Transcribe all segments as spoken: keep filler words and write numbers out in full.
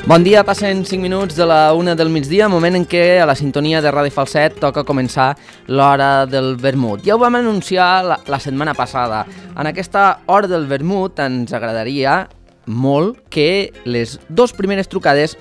Bon dia, passen cinc minuts de la una del migdia, moment en què a la sintonia de Ràdio Falset toca començar l'hora del vermut. Ja ho vam anunciar la, la setmana passada. En aquesta hora del vermut ens agradaria molt que les dues primeres trucades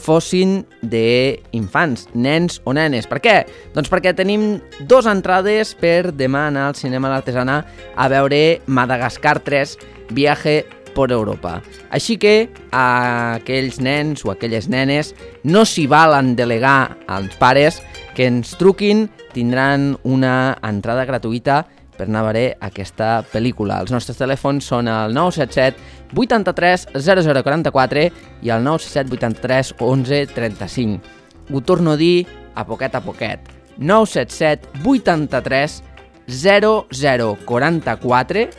fossin d'infants, nens o nenes. Per què? Doncs perquè tenim dues entrades per demà anar al cinema a l'Artesana a veure Madagascar tres, Viaje por Europa. Així que a aquells nens o aquelles nenes no s'hi valen delegar als pares que ens truquin, tindran una entrada gratuïta per anar a veure aquesta pel·lícula. Els nostres telèfons són el nou set set vuitanta-tres zero zero quaranta-quatre i el nou set set vuitanta-tres onze trenta-cinc. Ho torno a dir a poquet a poquet. nou set set vuitanta-tres zero zero quaranta-quatre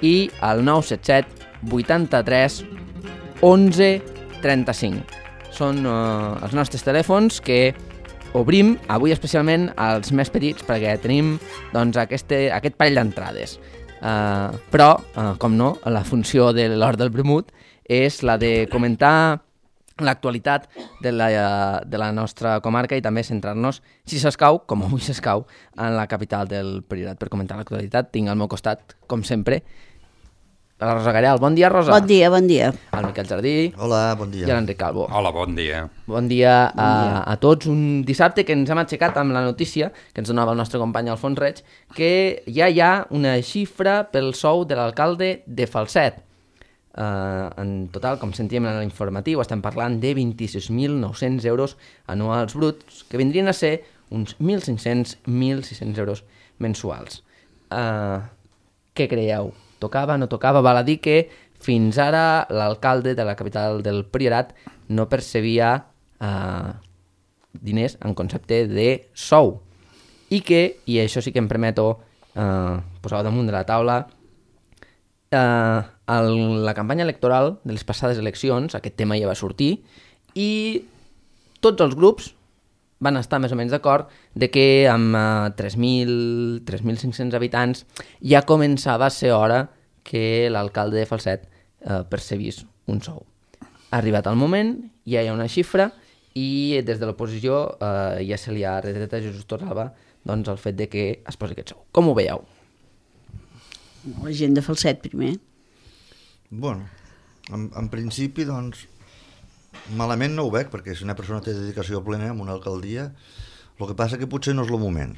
i el nou set set vuitanta-tres onze trenta-cinc. Són uh, els nostres telèfons que obrim avui especialment als més petits perquè tenim doncs, aquest, aquest parell d'entrades. Uh, però, uh, com no, la funció de l'hora del vermut és la de comentar l'actualitat de la, de la nostra comarca i també centrar-nos, si s'escau, com avui s'escau, en la capital del Priorat. Per comentar l'actualitat tinc al meu costat, com sempre, la Rosa Garel. Bon dia, Rosa. Bon dia, bon dia. El Miquel Jardí. Hola, bon dia. I l'Enric Calvo. Hola, bon dia. Bon dia, bon a, dia a tots. Un dissabte que ens hem aixecat amb la notícia que ens donava el nostre company Alfons Reig, que ja hi ha una xifra pel sou de l'alcalde de Falset. Uh, en total, com sentíem en l'informatiu, estem parlant de vint-i-sis mil nou-cents euros anuals bruts, que vindrien a ser uns mil cinc-cents a mil sis-cents euros mensuals. Uh, què creieu? Tocava, no tocava? Val a dir que fins ara l'alcalde de la capital del Priorat no percebia uh, diners en concepte de sou. I que, i això sí que em permeto uh, posar damunt de la taula, uh, el, la campanya electoral de les passades eleccions, aquest tema ja va sortir, i tots els grups van estar més o menys d'acord de que amb uh, tres mil tres mil cinc-cents habitants ja començava a ser hora que l'alcalde de Falset uh, percebís un sou. Ha arribat el moment, ja hi ha una xifra i des de l'oposició uh, ja se li ha retret a Jesús Torralba doncs, el fet de que es posi aquest sou. Com ho veieu? La gent de Falset primer. Bueno, en, en principi, doncs, malament no ho veig, perquè si una persona té dedicació plena en una alcaldia, el que passa que potser no és el moment.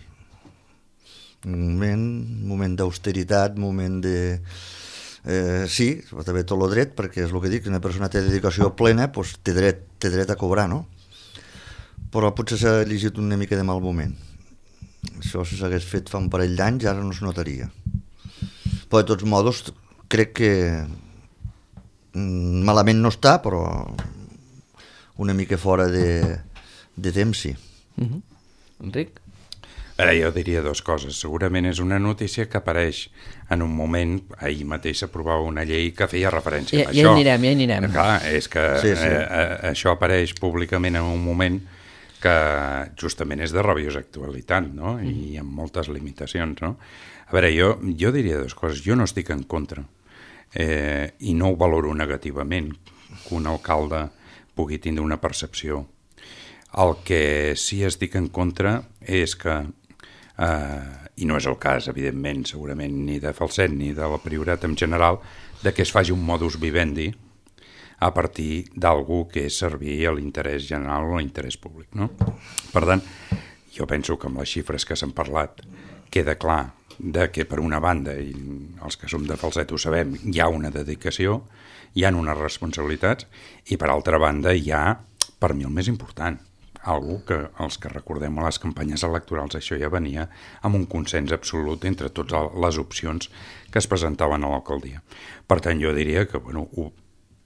Un moment, moment d'austeritat, moment de... Eh, sí, també tot el dret, perquè és el que dic, si una persona té dedicació plena, doncs té dret, té dret a cobrar, no? Però potser s'ha elegit una mica de mal moment. Això, si s'hagués fet fa un parell d'anys, ara no es notaria. Però, de tots modos, crec que malament no està, però una mica fora de, de temps, sí. Uh-huh. Enric? Ara, jo diria dues coses. Segurament és una notícia que apareix en un moment, ahir mateix s'aprovava una llei que feia referència ja, a ja això. Ja hi anirem, ja hi anirem. Clar, és que sí, sí. Eh, això apareix públicament en un moment que justament és de rabiosa actualitat, no? Mm. I amb moltes limitacions, no? A veure, jo, jo diria dues coses. Jo no estic en contra eh, i no ho valoro negativament que un alcalde pugui tindre una percepció. El que sí estic en contra és que, eh, i no és el cas, evidentment, segurament ni de Falset ni de la Priorat en general, de que es faci un modus vivendi a partir d'algú que és servir a l'interès general o a l'interès públic, no? Per tant, jo penso que amb les xifres que s'han parlat queda clar de que per una banda, i els que som de Falset ho sabem, hi ha una dedicació, hi ha unes responsabilitats, i per altra banda hi ha, per mi el més important, algú que els que recordem a les campanyes electorals això ja venia amb un consens absolut entre totes les opcions que es presentaven a l'alcaldia. Per tant, jo diria que, bueno, ho,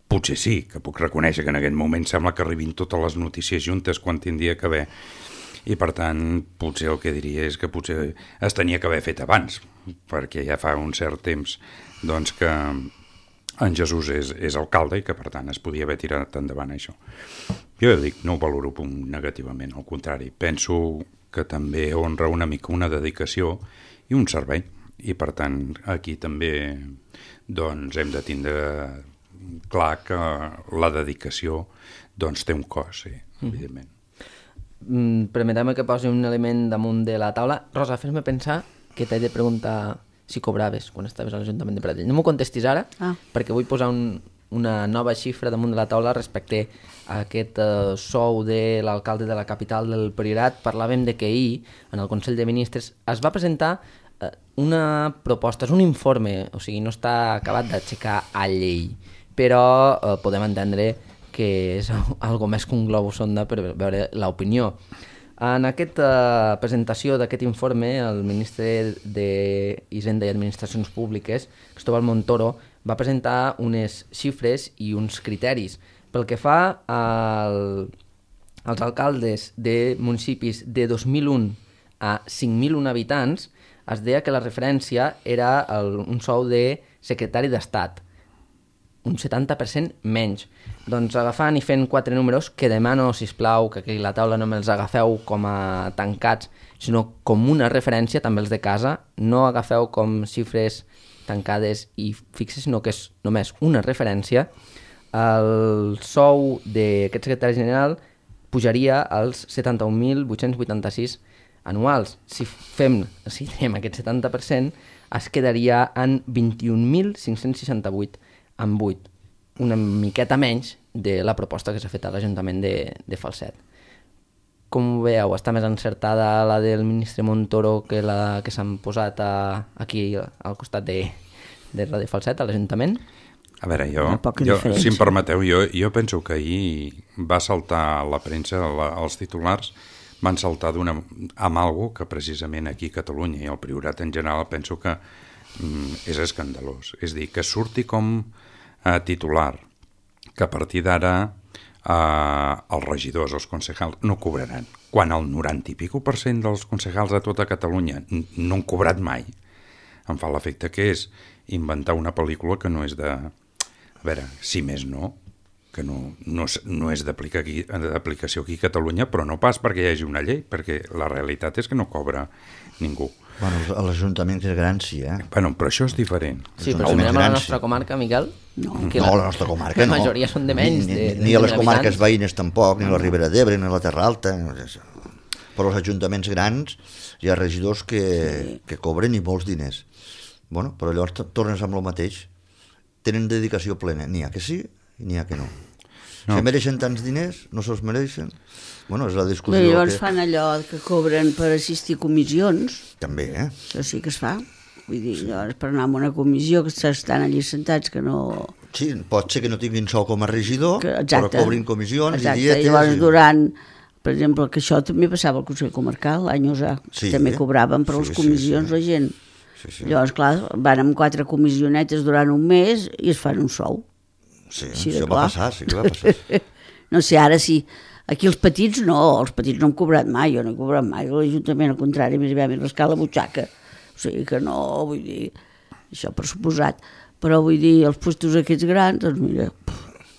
potser sí, que puc reconèixer que en aquest moment sembla que arribin totes les notícies juntes quan tindria que haver, i per tant, potser el que diria és que potser es tenia que haver fet abans, perquè ja fa un cert temps doncs que en Jesús és, és alcalde i que per tant es podia haver tirat endavant això. Jo dic, no ho valoro negativament, al contrari, penso que també honra una mica una dedicació i un servei, i per tant aquí també doncs hem de tindre clar que la dedicació doncs, té un cost, sí, evidentment. Mm, permetem que posi un element damunt de la taula. Rosa, fes-me pensar que t'he de preguntar si cobraves quan estaves a l'Ajuntament de Pradell. No m'ho contestis ara, Ah. perquè vull posar un, una nova xifra damunt de la taula respecte a aquest uh, sou de l'alcalde de la capital del Priorat. Parlàvem de que ahir, en el Consell de Ministres, es va presentar uh, una proposta, és un informe, o sigui, no està acabat d'aixecar a llei, però uh, podem entendre que és algo més que un globus sonda per veure l'opinió. En aquesta presentació d'aquest informe, el ministre d'Hisenda i Administracions Públiques, Cristóbal Montoro, va presentar unes xifres i uns criteris. Pel que fa al, als alcaldes de municipis de dos mil un a cinc mil un habitants, es deia que la referència era el, un sou de secretari d'Estat, un setanta per cent menys. Doncs agafant i fent quatre números, que demano, sisplau, que aquí a la taula no me'ls agafeu com a tancats, sinó com una referència, també els de casa, no agafeu com xifres tancades i fixes, sinó que és només una referència. El sou d'aquest secretari general pujaria als setanta-un mil vuit-cents vuitanta-sis anuals. Si fem, si fem aquest setanta per cent, es quedaria en vint-i-un mil cinc-cents seixanta-vuit amb vuit, una miqueta menys de la proposta que s'ha fet a l'Ajuntament de, de Falset. Com ho veieu? Està més encertada la del ministre Montoro que la que s'han posat a, aquí al costat de, de Radio Falset, a l'Ajuntament? A veure, jo, Una poca jo diferència. si em permeteu, jo, jo penso que ahir va saltar a la premsa, la, els titulars van saltar d'una amb algo que precisament aquí a Catalunya i al Priorat en general penso que mm, és escandalós. És a dir, que surti com a titular que a partir d'ara eh, els regidors, els concejals, no cobraran. Quan el noranta i pico per cent dels concejals de tota Catalunya no han cobrat mai, em fa l'efecte que és inventar una pel·lícula que no és de... A veure, si més no, que no, no, és- no és d'aplicar aquí- d'aplicació aquí a Catalunya, però no pas perquè hi hagi una llei, perquè la realitat és que no cobra ningú. Bueno, a l'Ajuntament que és gran, sí, eh? Bueno, però això és diferent. Sí, Són però si més mirem a la grans, nostra sí. comarca, Miquel, No, que No, a la nostra comarca la no. majoria són de menys. Ni, de, ni, ni de a les mil comarques habitants. veïnes tampoc, ni a la Ribera d'Ebre, ni a la Terra Alta. Però als ajuntaments grans hi ha regidors que, sí. que cobren i molts diners. Bueno, però llavors t- tornes amb el mateix. Tenen dedicació plena. N'hi ha que sí i n'hi ha que no. No. no. Si mereixen tants diners, no se'ls mereixen. Bueno, és la Però discussió llavors que... fan allò que cobren per assistir a comissions, També, eh? això sí que es fa. Vull dir, llavors per anar a una comissió que estan allí sentats que no... Sí, pot ser que no tinguin sou com a regidor, Que, però cobrin comissions exacte. i dietes. Llavors i... durant, per exemple, que això també passava al Consell Comarcal, l'any usà, Sí, també eh? cobraven per Sí, les sí, comissions sí. la gent. Sí, sí. Llavors, clar, van amb quatre comissionetes durant un mes i es fan un sou. Sí, Així de això va clar. passar, sí que va passar. No sé, ara sí. Aquí els petits no, els petits no han cobrat mai, jo no he cobrat mai. L'Ajuntament, al contrari, més aviat m'he rascat la butxaca. O sigui que no, vull dir, això per suposat. Però vull dir, els puestos aquests grans, doncs mira,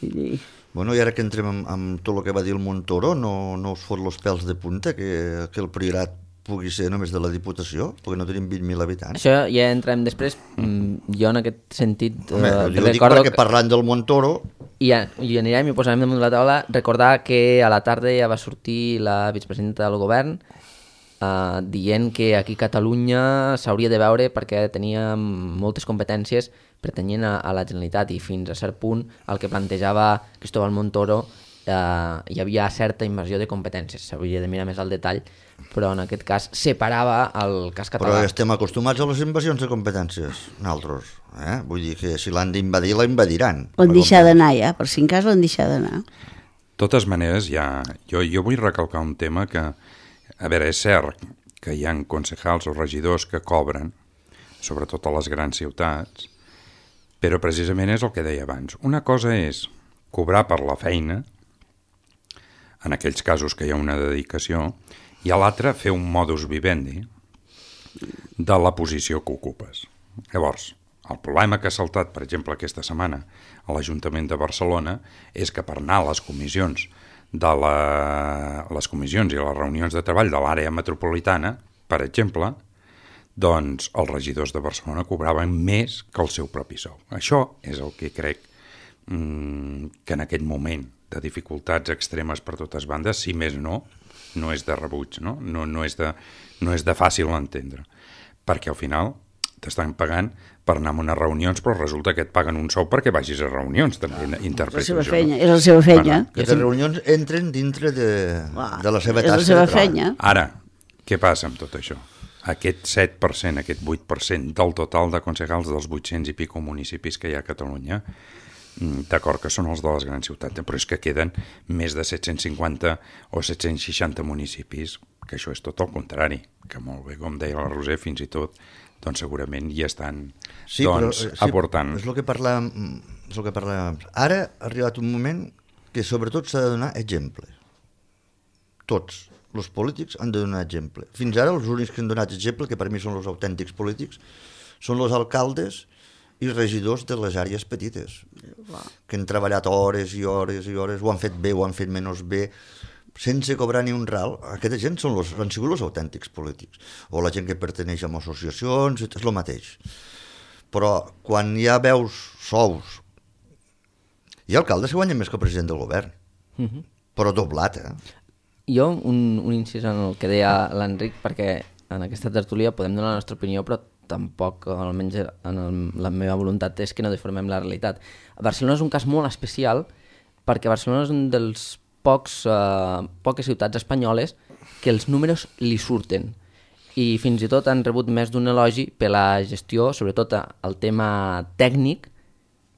vull dir... Bueno, i ara que entrem amb, amb tot el que va dir el Montoro, no, no us fot els pèls de punta que, que el Priorat pugui ser només de la Diputació, perquè no tenim vint mil habitants. Això ja entrem després. Mm, Jo en aquest sentit Home, eh, jo dic recordo perquè parlant del Montoro, I, ja, i anirem i ho posarem damunt de la taula. Recordar que a la tarda ja va sortir la vicepresidenta del govern eh, dient que aquí a Catalunya s'hauria de veure perquè tenia moltes competències pertanyent a, a la Generalitat i fins a cert punt el que plantejava Cristóbal Montoro eh, hi havia certa invasió de competències. S'hauria de mirar més al detall, però en aquest cas separava el cas però català. estem acostumats a les invasions de competències, nosaltres. Eh? Vull dir que si l'han d'invadir, la invadiran. L'han deixat d'anar ja, per si en cas l'han deixat d'anar. De totes maneres, ja, jo, jo vull recalcar un tema que, a veure, és cert que hi ha concejals o regidors que cobren, sobretot a les grans ciutats, però precisament és el que deia abans. Una cosa és cobrar per la feina, en aquells casos que hi ha una dedicació, i a l'altra fer un modus vivendi de la posició que ocupes. Llavors, el problema que ha saltat, per exemple, aquesta setmana a l'Ajuntament de Barcelona és que per anar a les comissions de la, les comissions i les reunions de treball de l'àrea metropolitana, per exemple, doncs els regidors de Barcelona cobraven més que el seu propi sou. Això és el que crec mmm, que en aquest moment de dificultats extremes per totes bandes, si més no, no és de rebuig, no? No, no, és, de, no és de fàcil entendre. Perquè al final t'estan pagant per anar a unes reunions, però resulta que et paguen un sou perquè vagis a reunions, també ah, interpreto és la seva això. feina, No? és la seva feina. Que les reunions entren dintre de, Clar, de la seva és tasca la seva de treball. feina. Ara, què passa amb tot això? Aquest set per cent, aquest vuit per cent del total de concejals dels vuit-cents i pico municipis que hi ha a Catalunya, d'acord que són els de les grans ciutats, però és que queden més de set-cents cinquanta o set-cents seixanta municipis, que això és tot el contrari, que molt bé, com deia la Roser, fins i tot, doncs segurament hi estan sí, doncs, però, sí, aportant. És el que parlàvem, és el que parlàvem. Ara ha arribat un moment que sobretot s'ha de donar exemple. Tots els polítics han de donar exemple. Fins ara els únics que han donat exemple, que per mi són els autèntics polítics, són els alcaldes i regidors de les àrees petites, que han treballat hores i hores i hores, ho han fet bé, ho han fet menys bé, sense cobrar ni un ral. Aquesta gent són los, han sigut els autèntics polítics. O la gent que perteneix a associacions, és el mateix. Però quan hi ha veus sous, hi ha alcaldes que guanyen més que el president del govern, uh-huh. però doblat, eh? Jo, un, un incís en el que deia l'Enric, perquè en aquesta tertúlia podem donar la nostra opinió, però tampoc, almenys en el, la meva voluntat és que no deformem la realitat. Barcelona és un cas molt especial perquè Barcelona és un dels pocs, eh, poques ciutats espanyoles que els números li surten i fins i tot han rebut més d'un elogi per la gestió, sobretot el tema tècnic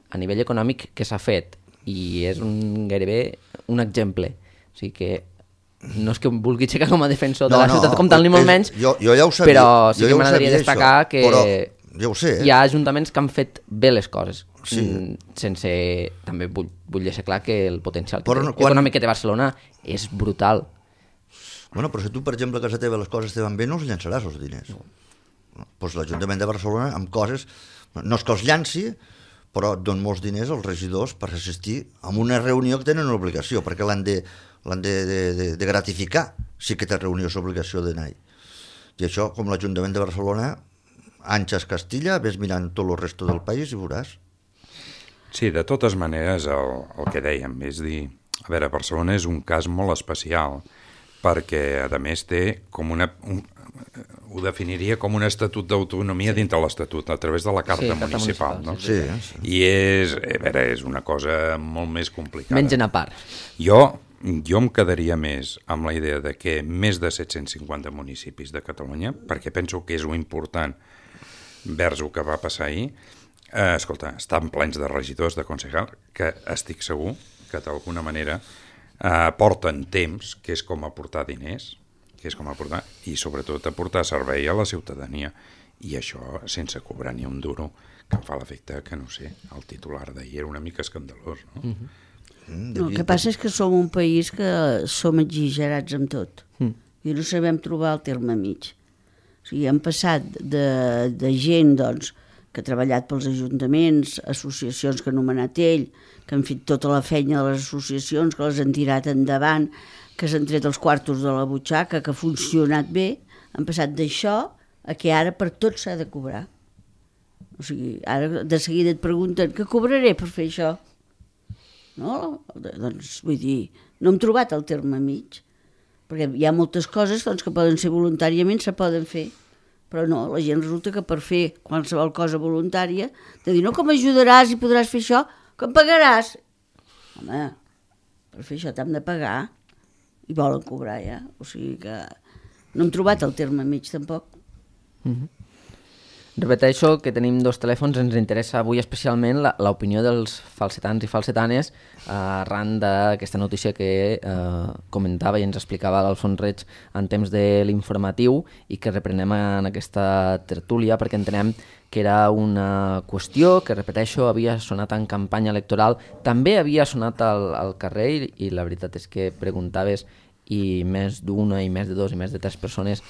a nivell econòmic que s'ha fet, i és un, gairebé un exemple. O sigui que no és que em vulgui aixecar com a defensor no, de la no, ciutat com tal, ni molt és, menys, jo, jo ja ho sabia, però sí jo que ja m'agradaria destacar això, que però, ja ho sé, eh? hi ha ajuntaments que han fet bé les coses, sí. sense... També vull, vull deixar clar que el potencial que però, té, quan... econòmic que té Barcelona és brutal. Bueno, però si tu, per exemple, a casa teva les coses te van bé, no els llançaràs els diners. No. Doncs l'Ajuntament de Barcelona, amb coses, no és que els llanci, però et don molts diners als regidors per assistir a una reunió que tenen una obligació, perquè l'han de, l'han de, de, de, de gratificar, si que té reunió és obligació d'anar-hi. I això, com l'Ajuntament de Barcelona, Anxes Castilla, ves mirant tot el resto del país i veuràs. Sí, de totes maneres, el, el que dèiem, és dir, a veure, Barcelona és un cas molt especial, perquè, a més, té com una... Un, ho definiria com un estatut d'autonomia sí. dintre l'estatut, a través de la carta sí, municipal. municipal no? sí, sí. I és, a veure, és una cosa molt més complicada. Mengen a part. Jo, jo em quedaria més amb la idea de que més de set-cents cinquanta municipis de Catalunya, perquè penso que és lo important vers el que va passar ahir, eh, escolta, estan plens de regidors, de concejals, que estic segur que d'alguna manera eh, porten temps, que és com aportar diners, que és com aportar, i sobretot aportar servei a la ciutadania, i això sense cobrar ni un duro, que em fa l'efecte que, no sé, el titular d'ahir era una mica escandalós, no? Mm-hmm. No, el que passa és que som un país que som exagerats amb tot, mm. i no sabem trobar el terme mig. O sigui, hem passat de, de gent, doncs, que ha treballat pels ajuntaments, associacions que ha anomenat ell, que han fet tota la feina de les associacions, que les han tirat endavant, que s'han tret els quartos de la butxaca, que ha funcionat bé, han passat d'això a que ara per tot s'ha de cobrar. O sigui, ara de seguida et pregunten què cobraré per fer això? No? Doncs vull dir, no hem trobat el terme mig, perquè hi ha moltes coses doncs, que poden ser voluntàriament, se poden fer, però no, la gent resulta que per fer qualsevol cosa voluntària, de dir, no, com ajudaràs i podràs fer això, que em pagaràs. Home, per fer això t'hem de pagar, i volen cobrar ja, o sigui que no hem trobat el terme mig tampoc. Mm-hmm. Repeteixo que tenim dos telèfons, ens interessa avui especialment l'opinió dels falsetans i falsetanes eh, arran d'aquesta notícia que eh, comentava i ens explicava l'Alfons Reig en temps de l'informatiu i que reprenem en aquesta tertúlia perquè entenem que era una qüestió que, repeteixo, havia sonat en campanya electoral, també havia sonat al, al carrer i, i la veritat és que preguntaves i més d'una i més de dos i més de tres persones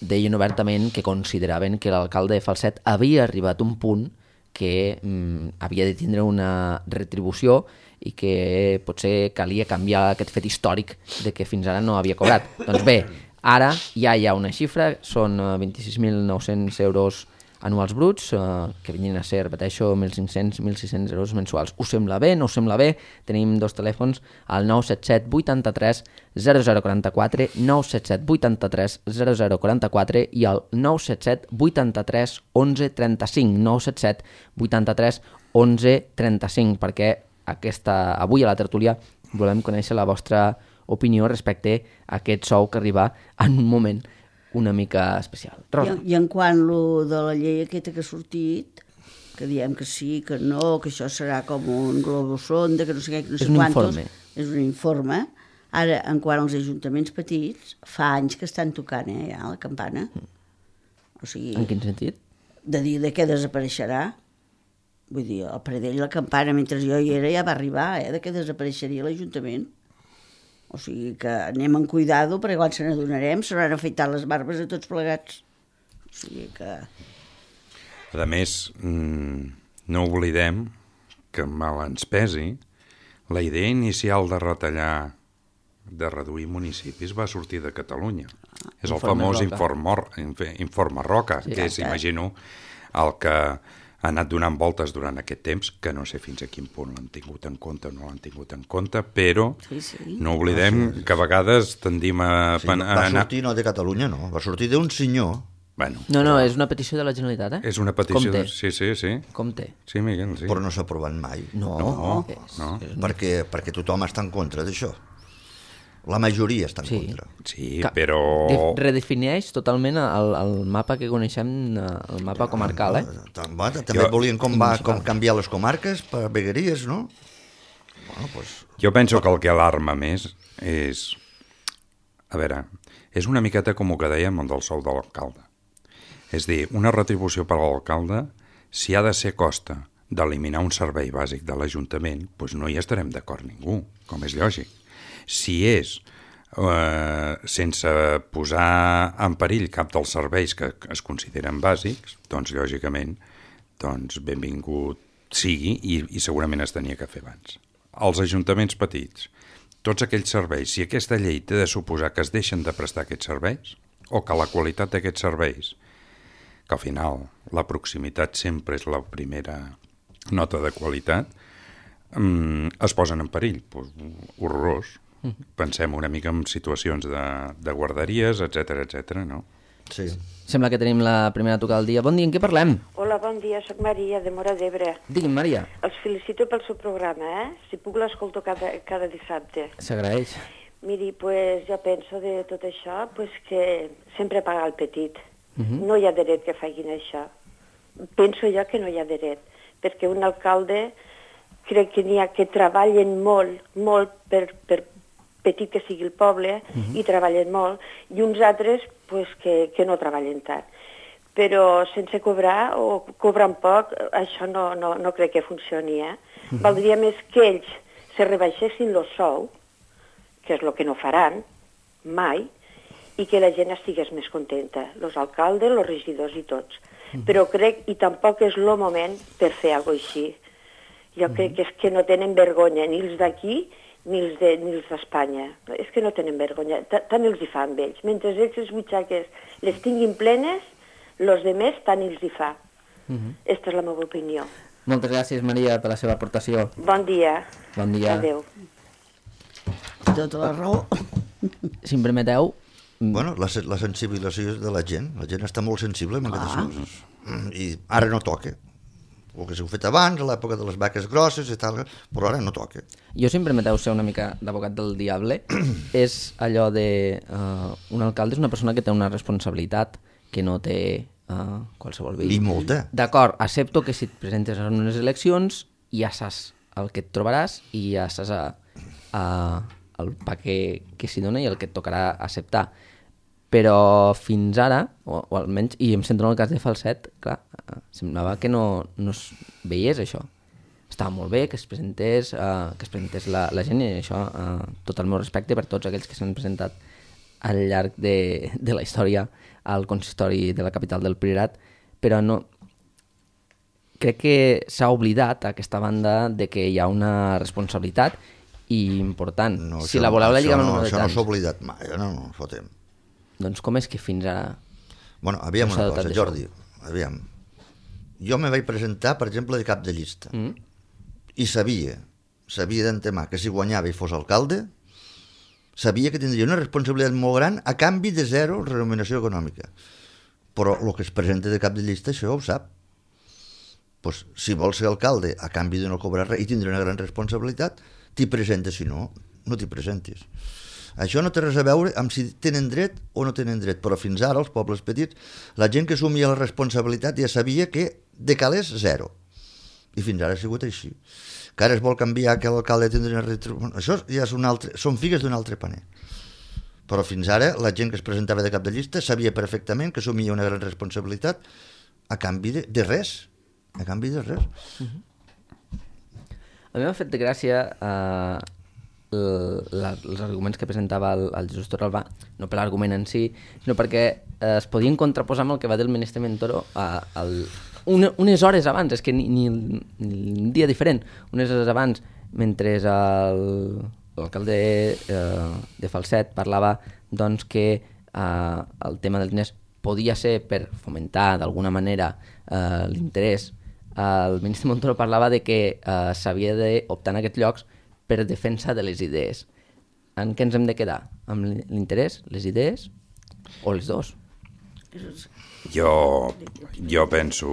deien obertament que consideraven que l'alcalde de Falset havia arribat a un punt que mm, havia de tindre una retribució i que potser calia canviar aquest fet històric de que fins ara no havia cobrat. Doncs bé, ara ja hi ha una xifra, són vint-i-sis mil nou-cents euros anuals bruts, eh, que vinguin a ser, repeteixo, mil cinc-cents a mil sis-cents euros mensuals. Us sembla bé? No us sembla bé? Tenim dos telèfons, el nou set set vuitanta-tres zero zero quaranta-quatre, nou set set vuitanta-tres zero zero quaranta-quatre i el nou set set vuitanta-tres onze trenta-cinc, nou set set vuitanta-tres onze trenta-cinc, perquè aquesta, avui a la tertúlia volem conèixer la vostra opinió respecte a aquest sou que arriba en un moment una mica especial. Rosa. I, I en quant lo de la llei aquesta que ha sortit, que diem que sí, que no, que això serà com un globosonda, que no sé què, que no sé És un quantos. informe. És un informe. Ara, en quant als ajuntaments petits, fa anys que estan tocant, eh, ja, la campana. O sigui, En quin sentit? de dir de què desapareixerà. Vull dir, el Pradell, la campana, mentre jo hi era, ja va arribar, eh, de què desapareixeria l'Ajuntament. O sigui que anem en cuidado, perquè quan se n'adonarem s'hauran afeitat les barbes a tots plegats. O sigui que... A més, no oblidem que mal ens pesi, la idea inicial de retallar, de reduir municipis va sortir de Catalunya. És el Informe famós Roca. informe, informe Roca, Sí, que és, exacte. imagino, el que ha anat donant voltes durant aquest temps, que no sé fins a quin punt l'han tingut en compte o no l'han tingut en compte, però Sí, sí. no oblidem que a vegades tendim a... Sí, pen- a va anar... sortir no de Catalunya, no. Va sortir d'un senyor. Bueno, No, no, és una petició de la Generalitat, eh? és una petició... Com té? De... Sí, sí, sí. Com té? Sí, Miguel, sí. Però no s'ha aprovat mai. No, No, és, no. és Perquè, perquè tothom està en contra d'això. La majoria està en Sí. contra. Sí, Ca- però... de- redefineix totalment el, el mapa que coneixem, eh, el mapa comarcal, eh? Tam- bueno, També Jo- volien com, va, municipal. com canviar les comarques per vegueries, no? Bueno, pues, Jo penso que el que alarma més és... A veure, és una miqueta com el que dèiem el del sou de l'alcalde. És dir, una retribució per a l'alcalde, si ha de ser costa d'eliminar un servei bàsic de l'Ajuntament, doncs no hi estarem d'acord ningú, com és lògic. Si és eh, sense posar en perill cap dels serveis que es consideren bàsics, doncs lògicament doncs benvingut sigui i, i segurament es tenia que fer abans. Els ajuntaments petits, tots aquells serveis, si aquesta llei té de suposar que es deixen de prestar aquests serveis o que la qualitat d'aquests serveis, que al final la proximitat sempre és la primera nota de qualitat, mm, es posen en perill. Pues, horrorós. Pensem una mica en situacions de, de guarderies, etc etc. no? sí. Sembla que tenim la primera trucada del dia. Bon dia, en què parlem? Hola, bon dia, soc Maria, de Mora d'Ebre. Digui'm, Maria. Els felicito pel seu programa, eh? Si puc l'escolto cada, cada dissabte. S'agraeix. Miri, pues, jo penso de tot això pues, que sempre paga el petit. Uh -huh. No hi ha dret que facin això. Penso jo que no hi ha dret, perquè un alcalde crec que n'hi ha que treballen molt, molt per, per petit que sigui el poble, uh -huh. i treballen molt, i uns altres pues, que, que no treballen tant. Però sense cobrar o cobrant poc, això no, no, no crec que funcioni. Eh? Uh -huh. Valdria més que ells se rebaixessin el sou, que és el que no faran mai, i que la gent estigués més contenta, els alcaldes, els regidors i tots. Uh -huh. Però crec, i tampoc és el moment per fer alguna cosa així. Jo uh -huh. crec que és que no tenen vergonya, ni els d'aquí, ni els de, ni els d'Espanya. És que no tenen vergonya, tant els hi fa amb ells. Mentre ells les butxaques les tinguin plenes, els de més tant els hi fa. Uh -huh. Aquesta és la meva opinió. Moltes gràcies, Maria, per la seva aportació. Bon dia. Bon dia. Adéu. Tota la raó. Si em permeteu, Bueno, la, se- la sensibilització de la gent. La gent està molt sensible amb aquestes coses. Mm, I ara no toca. El que s'ha fet abans, a l'època de les vaques grosses i tal, però ara no toca. jo, si em permeteu ser una mica d'advocat del diable, és allò de... Uh, un alcalde és una persona que té una responsabilitat que no té uh, qualsevol veí. I molta. D'acord, accepto que si et presentes en unes eleccions ja saps el que et trobaràs i ja saps a, a, el pa que, que s'hi dona i el que et tocarà acceptar. Però fins ara, o, o almenys, i em centro en el cas de Falset, clar, eh, semblava que no, no es veiés això. Estava molt bé que es presentés, eh, que es presentés la, la gent, i això, eh, tot el meu respecte per tots aquells que s'han presentat al llarg de, de la història al consistori de la capital del Priorat, però no... Crec que s'ha oblidat aquesta banda de que hi ha una responsabilitat i important. No, si això la no- voleu la això lligar amb no, el número de Això no tants, s'ha oblidat mai, eh? no, no, fotem. doncs com és que fins ara... Bueno, aviam No s'ha una dotat cosa, d'això. Jordi, aviam. jo me vaig presentar, per exemple, de cap de llista. Mm. I sabia, sabia d'antemà que si guanyava i fos alcalde, sabia que tindria una responsabilitat molt gran a canvi de zero remuneració econòmica. Però el que es presenta de cap de llista, això ho sap. Pues, si vols ser alcalde a canvi de no cobrar res i tindre una gran responsabilitat, t'hi presentes, si no, no t'hi presentis. Això no té res a veure amb si tenen dret o no tenen dret, però fins ara, els pobles petits, la gent que assumia la responsabilitat ja sabia que de calés zero. I fins ara ha sigut així. Que ara es vol canviar que l'alcalde tindrà una retribució. Això ja és un altre, són figues d'un altre paner. Però fins ara la gent que es presentava de cap de llista sabia perfectament que assumia una gran responsabilitat a canvi de, de res. A canvi de res. Uh-huh. A mi m'ha fet de gràcia eh, la, els arguments que presentava el, el Jesús Torralba, no per l'argument en si, sinó perquè eh, es podien contraposar amb el que va dir el ministre Montoro a, al, una, unes hores abans, és que ni, ni, ni un dia diferent, unes hores abans, mentre el, l'alcalde eh, de Falset parlava doncs, que eh, el tema dels diners podia ser per fomentar d'alguna manera eh, l'interès. El ministre Montoro parlava de que eh, s'havia d'optar en aquests llocs per defensa de les idees. En què ens hem de quedar? Amb l'interès, les idees o els dos? Jo, jo penso,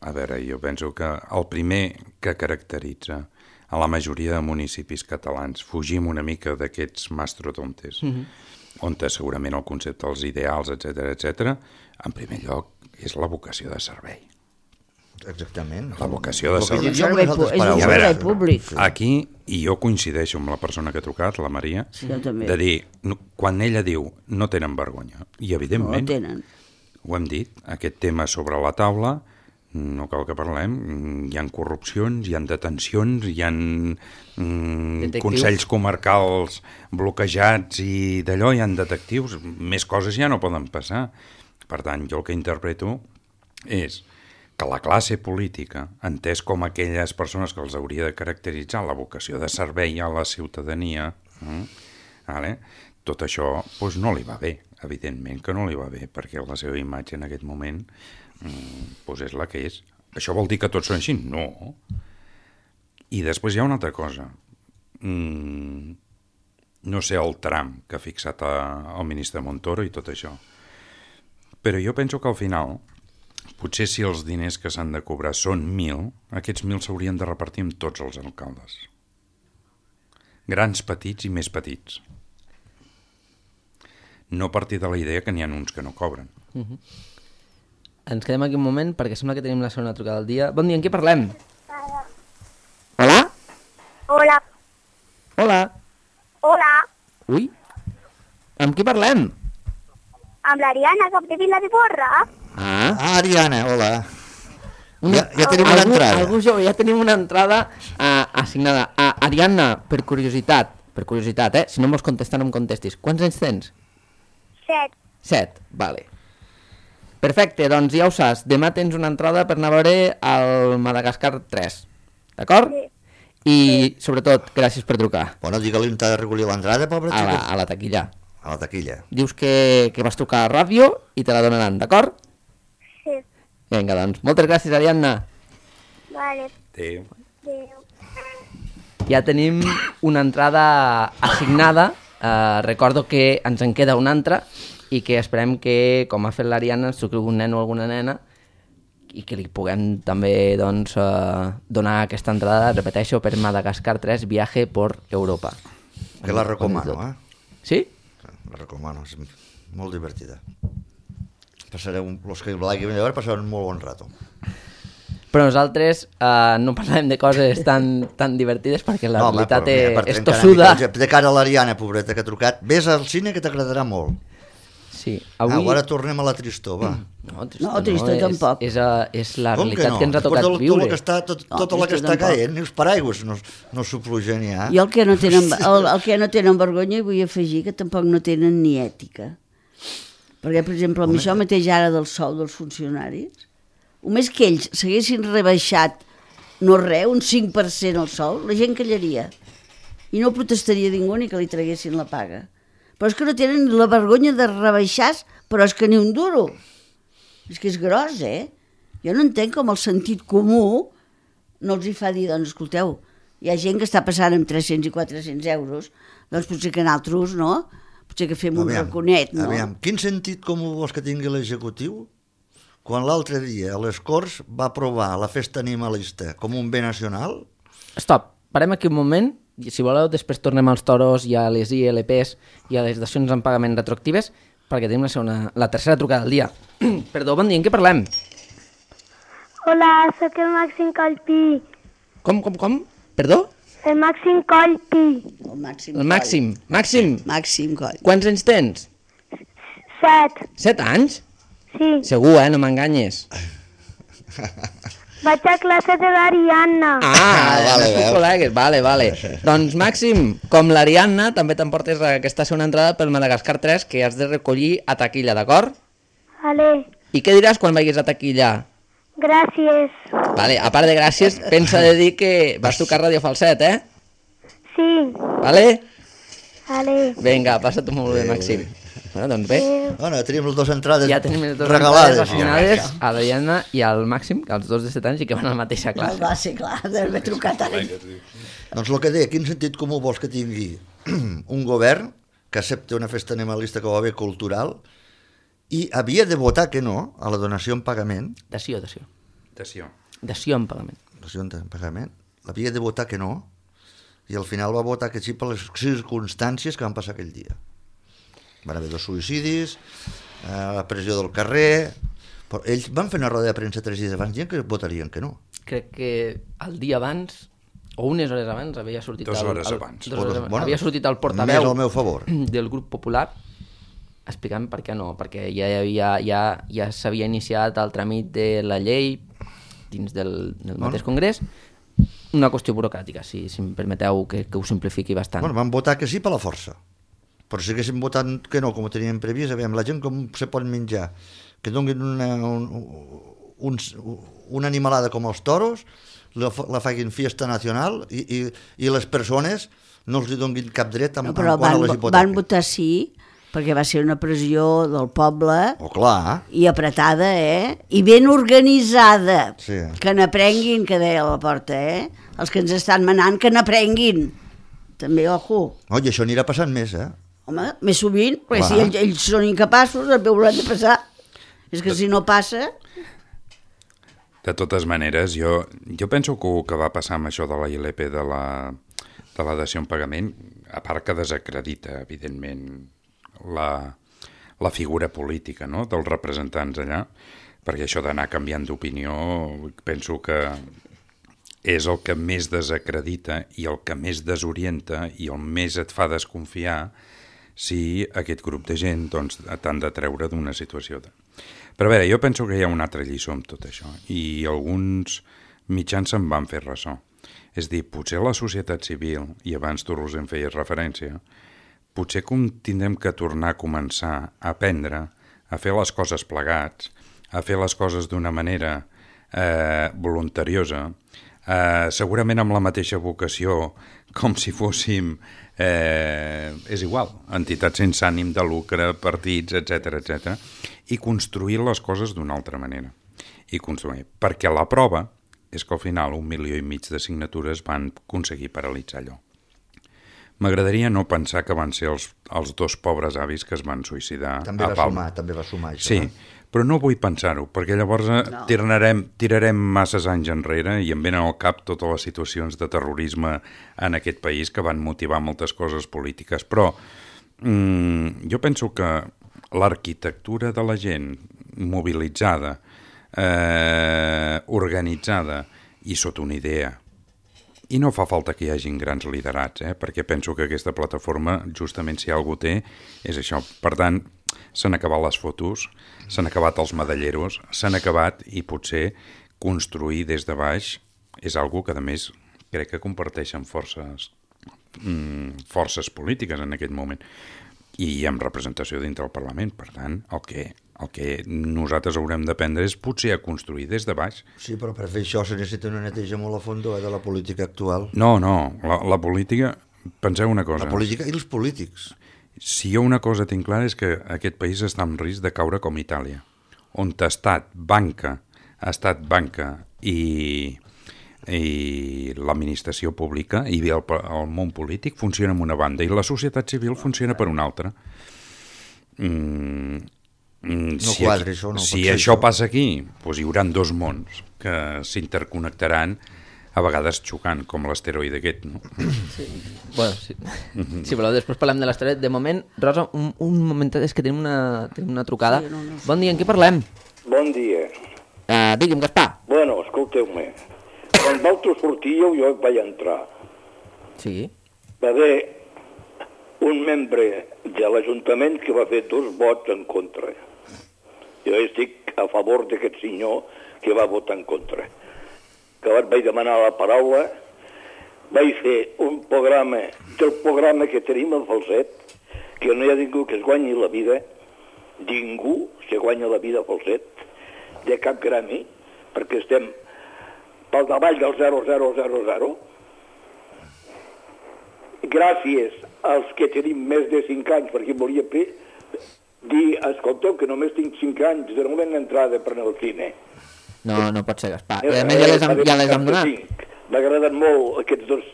a veure, jo penso que el primer que caracteritza a la majoria de municipis catalans, fugim una mica d'aquests mastrotontes, mm-hmm. on segurament el concepte dels ideals, etcètera, etcètera, en primer lloc és la vocació de servei. Exactament. La vocació de servei. És un servei públic. Aquí, i jo coincideixo amb la persona que ha trucat, la Maria, sí, de dir, no, quan ella diu no tenen vergonya, i evidentment, no tenen. Ho hem dit, aquest tema sobre la taula, no cal que parlem, hi ha corrupcions, hi ha detencions, hi ha mm, consells comarcals bloquejats i d'allò, hi ha detectius, més coses ja no poden passar. Per tant, jo el que interpreto és que la classe política, entès com aquelles persones que els hauria de caracteritzar la vocació de servei a la ciutadania, eh, vale? Tot això doncs, no li va bé, evidentment que no li va bé, perquè la seva imatge en aquest moment doncs, és la que és. Això vol dir que tots són així? No. I després hi ha una altra cosa. Mm, no sé el tram que ha fixat a, el ministre Montoro i tot això, però jo penso que al final potser si els diners que s'han de cobrar són mil, aquests mil s'haurien de repartir amb tots els alcaldes. Grans, petits i més petits. No partir de la idea que n'hi ha uns que no cobren. Uh-huh. Ens quedem aquí un moment perquè sembla que tenim la segona trucada del dia. Bon dia, amb qui parlem? Hola? Hola. Hola. Hola. Ui, amb qui parlem? Amb l'Ariana, que de Vila de Borra. Ah, ah Ariana, hola. Una, ja, ja tenim una algú, entrada. Algú jove, ja tenim una entrada uh, assignada. Uh, Ariana, per curiositat, per curiositat, eh? Si no em vols contestar, no em contestis. Quants anys tens? Set. Set, vale. Perfecte, doncs ja ho saps. Demà tens una entrada per anar a veure al Madagascar tres. D'acord? Sí. I, sobretot, gràcies per trucar. Bueno, digue-li on t'ha de recollir l'entrada, pobre a xica. la, a la taquilla. A la taquilla. Dius que, que vas trucar a ràdio i te la donaran, d'acord? Sí. Vinga, doncs, moltes gràcies, Ariadna. Vale. Adéu. Adéu. Ja tenim una entrada assignada. Uh, recordo que ens en queda una altra i que esperem que, com ha fet l'Ariadna, ens truqui algun nen o alguna nena i que li puguem també doncs, uh, donar aquesta entrada, repeteixo, per Madagascar tres, viaje por Europa. Que la recomano, eh? Sí? La recomano, és molt divertida. Passareu, els que l'hagin de veure passaran un molt bon rato. Però nosaltres uh, no parlem de coses tan, tan divertides perquè la no, realitat home, és tossuda. De cara a l'Ariana, pobreta, que ha trucat, vés al cine que t'agradarà molt. Sí, avui... Ah, ara tornem a la tristor, va. No, tristor, no, tristor no, tampoc. És, és, és la Com realitat que, no? que ens ha tocat tot, viure. Tot que està, tot, no, tota la que està tampoc. caient, ni els paraigües no, no s'ho plugen ja. I el que, no tenen, el, el que no tenen vergonya, vull afegir que tampoc no tenen ni ètica. Perquè, per exemple, amb això mateix ara del sou dels funcionaris, només que ells s'haguessin rebaixat no res, un cinc per cent el sou, la gent callaria. I no protestaria ningú ni que li traguessin la paga. Però és que no tenen la vergonya de rebaixar, però és que ni un duro. És que és gros, eh? Jo no entenc com el sentit comú no els hi fa dir, doncs, escolteu, hi ha gent que està passant amb tres-cents i quatre-cents euros, doncs potser que nosaltres, no? Potser que fem un raconet, no? Aviam, quin sentit comú vols que tingui l'executiu quan l'altre dia a les Corts va aprovar la festa animalista com un bé nacional? Stop, parem aquí un moment, i si voleu després tornem als toros i a les I L Ps i a les dacions en pagament retroactives, perquè tenim la, segona, la tercera trucada del dia. Perdó, bon dia, en què parlem? Hola, sóc el Màxim Colpi. Com, com, com? Perdó? El Màxim Colpi. El Màxim. El Màxim. Màxim, Màxim Coll. quants anys tens? Set. Set anys? Sí. Segur, eh? No m'enganyes. Vaig a classe de l'Ariadna. Ah, vale, vale, veus. col·legues, vale, vale. Doncs, Màxim, com l'Ariadna, també t'emportes aquesta segona entrada pel Madagascar tres que has de recollir a taquilla, d'acord? Vale. I què diràs quan vagis a taquilla? Gràcies. Vale, a part de gràcies, pensa de dir que vas tocar Ràdio Falset, eh? Sí. Vale? Vale. Vinga, passa-t'ho molt bé, Màxim. Bueno, doncs bé, Bueno, tenim les dues entrades ja tenim les dues regalades. entrades assignades a l'Ariadna i al Màxim, els dos de set anys i que van a la mateixa No, classe. va ser clar, d'haver trucat ara. Doncs el que deia, quin sentit comú vols que tingui un govern que accepta una festa animalista com a bé cultural i havia de votar que no a la donació en pagament, Dació, dació. Dació. Dació en pagament. donació en pagament, havia de votar que no i al final va votar que sí per les circumstàncies que van passar aquell dia. Van haver dos suïcidis, eh, la pressió del carrer, però ells van fer una roda de premsa tres dies abans dient que votarien que no. Crec que el dia abans, o unes hores abans, havia sortit... Dos el, hores el, abans. Dos hores abans. Bueno, havia sortit el més portaveu al meu favor. del grup popular explicant per què no, perquè ja, havia, ja, ja s'havia iniciat el tràmit de la llei dins del, del mateix congrés, una qüestió burocràtica, si, si em permeteu que, que ho simplifiqui bastant. Bueno, van votar que sí per la força. Però si haguéssim votat que no, com ho teníem previst, aviam, la gent com se pot menjar, que donguin una, un, un, una animalada com els toros, la, la facin fiesta nacional i, i, i les persones no els hi donguin cap dret amb, No, però amb quan van, les van hipotecas. votar sí, perquè va ser una pressió del poble Oh, clar. i apretada, eh? I ben organitzada. Sí. Que n'aprenguin, que deia a la porta, eh? Els que ens estan manant, que n'aprenguin. També, ojo. Oh, I això anirà passant més, eh? Home, més sovint, perquè Clar. si ells, ells són incapaços, el hauran de passar. És que si no passa... De totes maneres, jo, jo penso que el que va passar amb això de la I L P de la, de la dació en pagament, a part que desacredita, evidentment, la, la figura política, no?, dels representants allà, perquè això d'anar canviant d'opinió penso que és el que més desacredita i el que més desorienta i el més et fa desconfiar si aquest grup de gent doncs, t'han de treure d'una situació. De... Però a veure, jo penso que hi ha una altra lliçó amb tot això i alguns mitjans se'n van fer ressò. És dir, potser la societat civil, i abans tu, Roser, em feies referència, potser que tindrem que tornar a començar a aprendre a fer les coses plegats, a fer les coses d'una manera eh, voluntariosa, eh, segurament amb la mateixa vocació, com si fóssim, eh, és igual, entitats sense ànim de lucre, partits, etcètera, etcètera, i construir les coses d'una altra manera. I construir, perquè la prova és que al final un milió i mig de signatures van aconseguir paralitzar allò. M'agradaria no pensar que van ser els, els dos pobres avis que es van suïcidar També a va Palma. sumar, també va sumar això. Sí, eh? però no vull pensar-ho, perquè llavors no. tirarem, tirarem masses anys enrere i em venen al cap totes les situacions de terrorisme en aquest país que van motivar moltes coses polítiques. Però mm, jo penso que l'arquitectura de la gent mobilitzada, eh, organitzada i sota una idea, i no fa falta que hi hagin grans liderats, eh? Perquè penso que aquesta plataforma, justament si algú té, és això. Per tant, s'han acabat les fotos, s'han acabat els medalleros, s'han acabat i potser construir des de baix és algo que, a més, crec que comparteixen forces, mm, forces polítiques en aquest moment i amb representació dintre del Parlament. Per tant, el que, el que nosaltres haurem d'aprendre és potser a construir des de baix. Sí, però per fer això se necessita una neteja molt a fondo eh, de la política actual. No, no, la, la política... Penseu una cosa. La política i els polítics. Si jo una cosa tinc clara és que aquest país està en risc de caure com Itàlia, on Estat, banca, estat, banca i, i l'administració pública i el, el món polític funciona en una banda i la societat civil funciona per una altra. Mm, no si quadri, aquí, això no si pot ser això això. passa aquí, doncs hi haurà dos mons que s'interconnectaran a vegades xocant, com l'asteroide aquest, no? Sí. Bueno, sí. Si voleu, després parlem de l'asteroide. De moment, Rosa, un, un momentet, és que tenim una, tenim una trucada. Sí, no, no. Bon dia, en què parlem? Bon dia. Uh, digui'm, Gaspar. Bueno, escolteu-me. Quan vosaltres sortíeu, jo vaig entrar. Sí. Va haver un membre de l'Ajuntament que va fer dos vots en contra. Jo estic a favor d'aquest senyor que va votar en contra. Que vaig demanar la paraula, vaig fer un programa, del programa que tenim al Falset, que no hi ha ningú que es guanyi la vida, ningú se guanya la vida al Falset, de cap gremi, perquè estem pel davall del zero coma zero zero zero. Gràcies als que tenim més de cinc anys, perquè volia dir, escolteu, que només tinc cinc anys de moment d'entrada per anar al cine. No, no pot ser, Gaspar. I a més ja les hem, ja les hem donat. M'agraden molt aquests dos,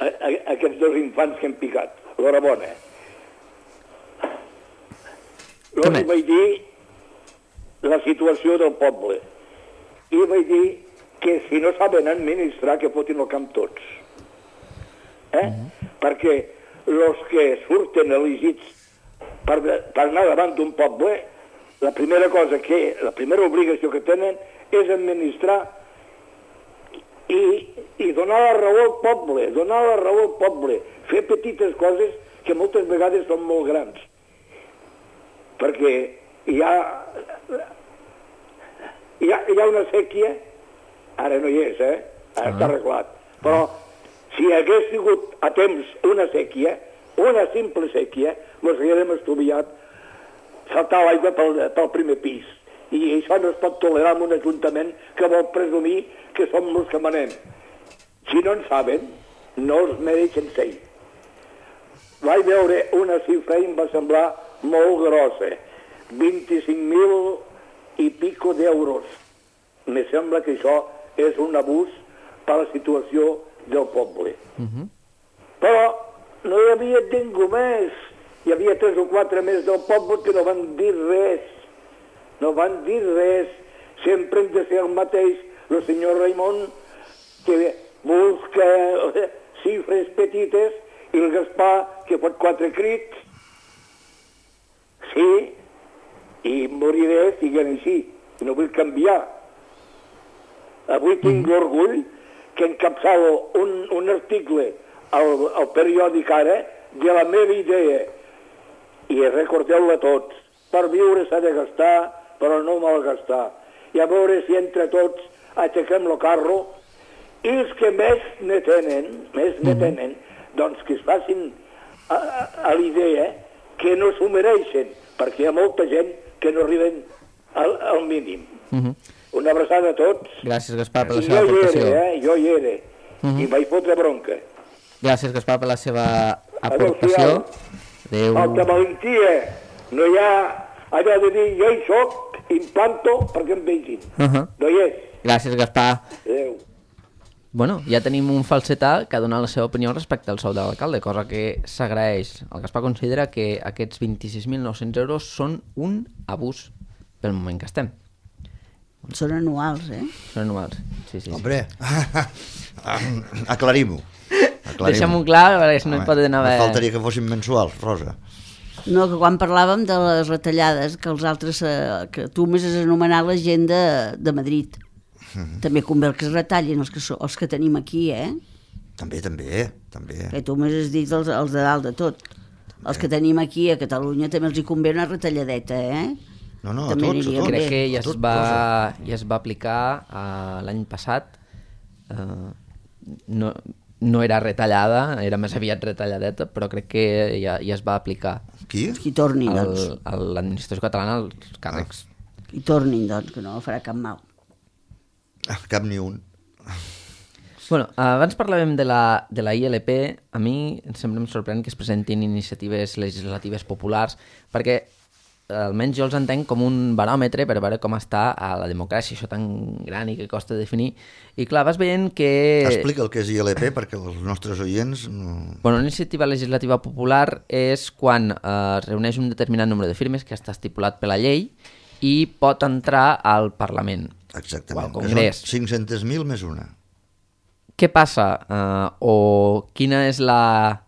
a, a, aquests dos infants que hem picat. L'horabona. Llavors vaig dir la situació del poble. I vaig dir que si no saben administrar, que fotin el camp tots. Eh? Mm-hmm. Perquè els que surten elegits per, per anar davant d'un poble, la primera cosa que, la primera obligació que tenen és administrar i, i donar la raó al poble, donar la raó al poble, fer petites coses que moltes vegades són molt grans. Perquè hi ha, hi ha, hi ha una sèquia, ara no hi és, eh? Ara ah. està arreglat. Però si hagués sigut a temps una sèquia, una simple sèquia, ens haguérem estudiat saltar l'aigua pel, pel primer pis. I això no es pot tolerar en un ajuntament que vol presumir que som els que manem. Si no en saben, no els mereixen ser. Vaig veure una xifra i em va semblar molt grossa. vint-i-cinc mil i pico d'euros. Me sembla que això és un abús per la situació del poble. Uh-huh. Però no hi havia ningú més. Hi havia tres o quatre més del poble que no van dir res. No van dir res, sempre hem de ser el mateix. El senyor Raimon, que busca xifres petites, i el Gaspar, que pot quatre crits. Sí, i moriré siguent així, i no vull canviar. Avui tinc l'orgull que encapçalo un, un article al, al periòdic Ara de la meva idea, i recordeu-la tots. Per viure s'ha de gastar, però no malgastar. I a veure si entre tots aixequem el carro, i els que més ne tenen, més ne tenen, doncs que es facin a, a, a l'idea que no s'ho mereixen, perquè hi ha molta gent que no arriben al, al mínim. Uh-huh. Una abraçada a tots. Gràcies, Gaspar, per la I seva jo aportació. Hi era, eh? Jo hi era, uh-huh. I vaig fotre bronca. Gràcies, Gaspar, per la seva aportació. Adéu. Falta valentia. No hi ha allò de dir jo hi soc, implanto perquè em vegin. Uh-huh. No hi és. Gràcies, Gaspar. Adéu. Bueno, ja tenim un falsetà que ha donat la seva opinió respecte al sou de l'alcalde, cosa que s'agraeix. El Gaspar considera que aquests vint-i-sis mil nou-cents euros són un abús pel moment que estem. Són anuals, eh? Són anuals, sí, sí. sí. Hombre, aclarim-ho. Aclarim Deixem-ho clar, perquè no hi pot anar... No faltaria que fossin mensuals, Rosa. No, que quan parlàvem de les retallades, que els altres, eh, que tu més has anomenat la gent de, de Madrid. Mm-hmm. També convé que es retallin els que, so, els que tenim aquí, eh? També, també, també. Que tu més has dit els, els de dalt de tot. També. Els que tenim aquí a Catalunya també els hi convé una retalladeta, eh? No, no, també a tots, a tots. Crec que ja, a tot, es va, ja es va aplicar uh, l'any passat. Uh, no, no era retallada, era més aviat retalladeta, però crec que ja, ja es va aplicar. Qui? Qui tornin, el, doncs. A l'administració catalana als càrrecs. Ah. Qui tornin, doncs, que no farà cap mal. Ah, cap ni un. Bueno, abans parlàvem de la, de la I L P. A mi sempre em sorprèn que es presentin iniciatives legislatives populars, perquè almenys jo els entenc com un baròmetre per veure com està a la democràcia, això tan gran i que costa definir. I clar, vas veient que... Explica el que és I L P perquè els nostres oients... No... Bueno, una iniciativa legislativa popular és quan eh, es reuneix un determinat número de firmes que està estipulat per la llei i pot entrar al Parlament. Exactament, o al Congrés. Que són cinc-cents mil més una. Què passa? Eh, o quina és la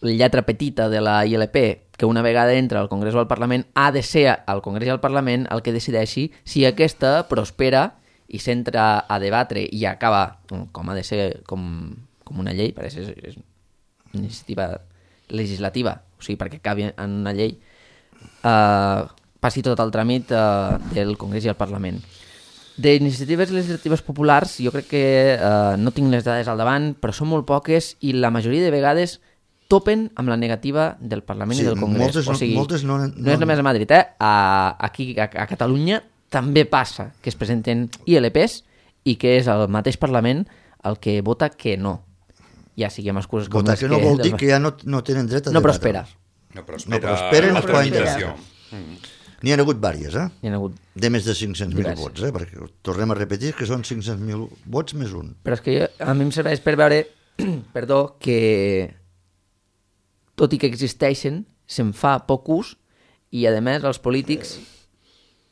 lletra petita de la I L P? Que una vegada entra al Congrés o al Parlament ha de ser al Congrés i al Parlament el que decideixi si aquesta prospera i s'entra a debatre i acaba com ha de ser com, com una llei, pareix és, és una iniciativa legislativa, o sigui, perquè acabi en una llei, eh, passi tot el tràmit eh, del Congrés i el Parlament. D'iniciatives legislatives populars jo crec que eh, no tinc les dades al davant, però són molt poques i la majoria de vegades topen amb la negativa del Parlament sí, i del Congrés. Moltes, o sigui, moltes no, no, no és només a Madrid, eh? A, aquí a, a Catalunya també passa que es presenten I L Ps i que és el mateix Parlament el que vota que no. Ja sigui amb excuses com votar les que no vol del... dir que ja no, no tenen dret a no debatre. prospera. No prospera. No prosperen la els poden tramitació. N'hi ha hagut vàries, eh? Hi ha hagut... De més de cinc-cents mil Diverses. vots, eh? Perquè tornem a repetir que són cinc-cents mil vots més un. Però és que jo, a mi em serveix per veure perdó, que tot i que existeixen, se'n fa poc ús i, a més, els polítics,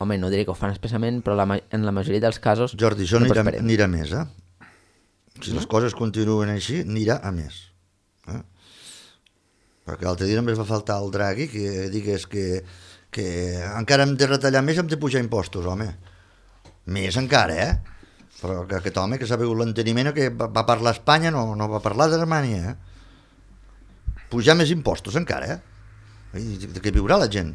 home, no diré que ho fan expressament, però la, en la majoria dels casos Jordi, això no anirà, prosperen. anirà més, eh? Si les coses continuen així, anirà a més. Eh? Perquè l'altre dia només va faltar el Draghi que digués que, que encara hem de retallar més, hem de pujar impostos, home. Més encara, eh? Però que aquest home que s'ha begut l'enteniment que va, va parlar a Espanya, no, no va parlar d'Alemanya, eh? Pujar més impostos encara, eh? I de què viurà la gent?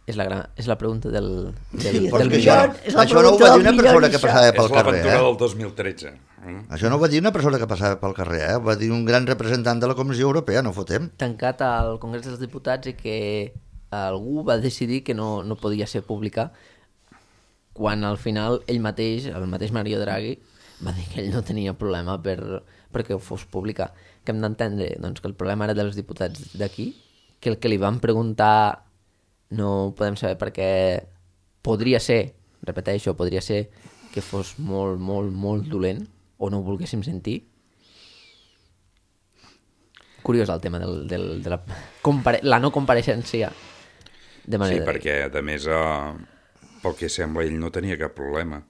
És la, gran, és la pregunta del, del, Sí, del Perquè millor. és la això no ho pregunta va dir del una millor, persona que això. passava És pel carrer, l'aventura eh? del dos mil tretze. Mm? Això no ho va dir una persona que passava pel carrer, eh? Ho va dir un gran representant de la Comissió Europea, no fotem. Tancat al Congrés dels Diputats i que algú va decidir que no, no podia ser pública quan al final ell mateix, el mateix Mario Draghi, va dir que ell no tenia problema per, perquè ho fos pública. Que hem d'entendre doncs, que el problema era dels diputats d'aquí, que el que li van preguntar no ho podem saber perquè podria ser, repeteixo, podria ser que fos molt, molt, molt dolent o no ho volguéssim sentir. Curiós el tema del, del, de la, compare la no compareixença de manera... Sí, perquè a més, eh, pel que sembla, ell no tenia cap problema.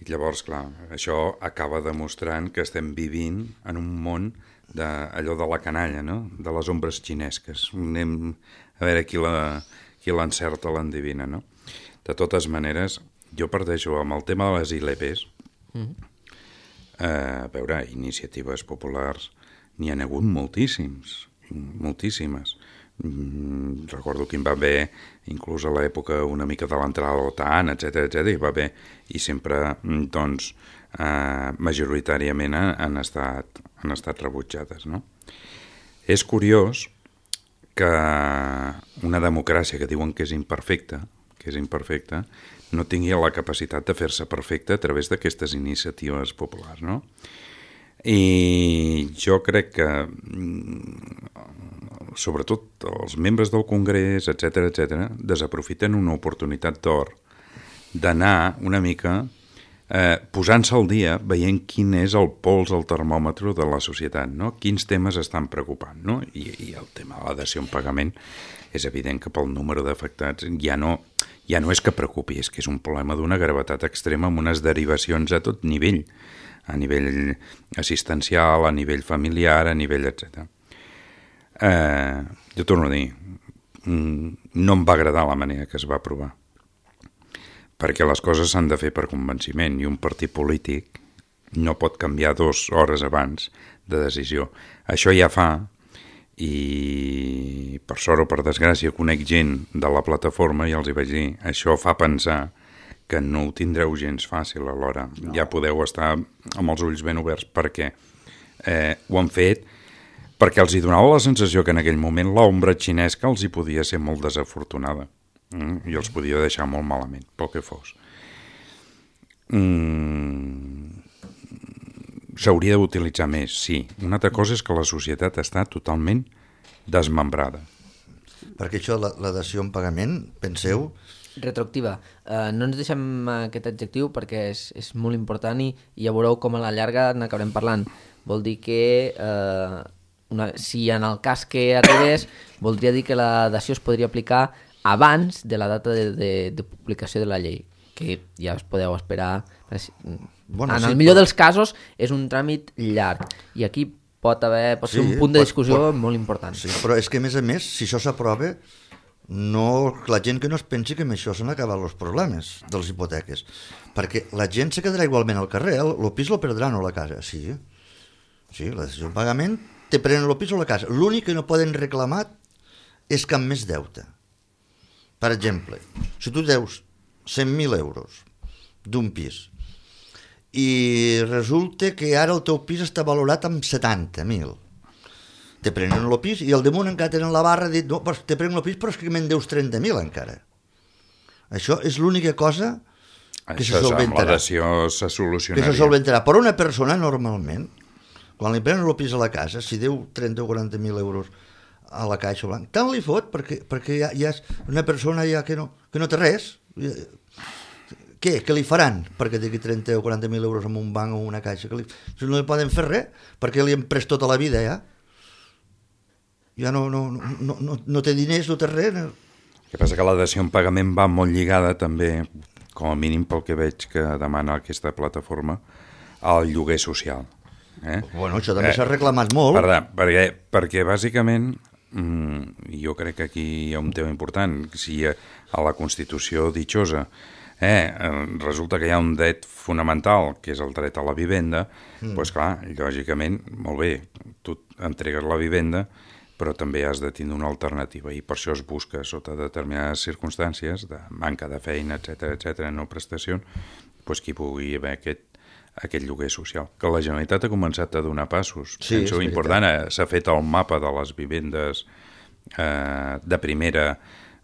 I llavors, clar, això acaba demostrant que estem vivint en un món d'allò de la canalla, no? De les ombres xinesques. Anem a veure qui la, qui l'encerta l'endivina, no? De totes maneres, jo parteixo amb el tema de les I L Ps. Mm-hmm. eh, a veure, iniciatives populars n'hi ha hagut moltíssims, moltíssimes. Mm, recordo que hi va haver, inclús a l'època una mica de l'entrada a l'OTAN, etcètera, etcètera, hi va haver, i sempre, doncs, eh, majoritàriament han estat, han estat rebutjades, no? És curiós que una democràcia que diuen que és imperfecta, que és imperfecta, no tingui la capacitat de fer-se perfecta a través d'aquestes iniciatives populars, no? I jo crec que sobretot els membres del Congrés, etcètera, etcètera, desaprofiten una oportunitat d'or d'anar una mica eh, posant-se al dia, veient quin és el pols, el termòmetre de la societat, no? Quins temes estan preocupant, no? I, i el tema de la dació en pagament és evident que pel número d'afectats ja no, ja no és que preocupi, és que és un problema d'una gravetat extrema amb unes derivacions a tot nivell, a nivell assistencial, a nivell familiar, a nivell etcètera. Eh, jo torno a dir, no em va agradar la manera que es va aprovar, perquè les coses s'han de fer per convenciment i un partit polític no pot canviar dues hores abans de decisió. Això ja fa, i per sort o per desgràcia conec gent de la plataforma i els hi vaig dir, això fa pensar que no ho tindreu gens fàcil alhora. No. Ja podeu estar amb els ulls ben oberts perquè eh, ho han fet perquè els hi donava la sensació que en aquell moment l'ombra xinesca els hi podia ser molt desafortunada mm? i els podia deixar molt malament, pel que fos. Mm... S'hauria d'utilitzar més, sí. Una altra cosa és que la societat està totalment desmembrada. perquè això, la, la dació en pagament, penseu... Retroactiva. Uh, no ens deixem aquest adjectiu perquè és, és molt important i, i ja veureu com a la llarga n'acabarem parlant. Vol dir que uh, una, si en el cas que arribés, voldria dir que la dació es podria aplicar abans de la data de, de, de publicació de la llei, que ja us podeu esperar. Bueno, en sí, el millor però... dels casos és un tràmit llarg i aquí pot haver pot ser sí, un punt de discussió pot, pot... molt important. Sí, però és que a més a més, si això s'aprova, no, la gent que no es pensi que amb això s'han acabat els problemes de les hipoteques, perquè la gent se quedarà igualment al carrer, el, el pis lo perdran o la casa, sí, sí, la decisió de pagament te prenen el pis o la casa, l'únic que no poden reclamar és cap més deute. Per exemple, si tu deus cent mil euros d'un pis i resulta que ara el teu pis està valorat amb setanta mil, te prenen el pis i al damunt encara tenen la barra dit, no, pues te prenen el pis però és que me'n deus trenta mil encara. Això és l'única cosa que això se solventarà. Amb la dació se solucionaria. Que se solventarà. Però una persona normalment, quan li prenen el pis a la casa, si deu trenta o quaranta mil euros a la Caixa Blanca, tant li fot perquè, perquè ja, ja és una persona ja que no, que no té res. Què? Què li faran perquè tingui trenta o quaranta mil euros en un banc o una caixa? Que li... No li poden fer res perquè li han pres tota la vida ja. Ja no, no, no, no, no té diners, no té res. No. El que passa que la dació en pagament va molt lligada també, com a mínim pel que veig que demana aquesta plataforma, al lloguer social. Eh? Bueno, això també eh, s'ha reclamat molt. Per, perquè, perquè bàsicament, mmm, jo crec que aquí hi ha un tema important. Si a la Constitució ditxosa eh, resulta que hi ha un dret fonamental, que és el dret a la vivenda, mm. doncs clar, lògicament, molt bé, tu entregues la vivenda, però també has de tindre una alternativa i per això es busca sota determinades circumstàncies de manca de feina, etcètera, etcètera, no prestacions, doncs que hi pugui haver aquest, aquest lloguer social. Que la Generalitat ha començat a donar passos. Sí, penso important, s'ha fet el mapa de les vivendes eh, de primera,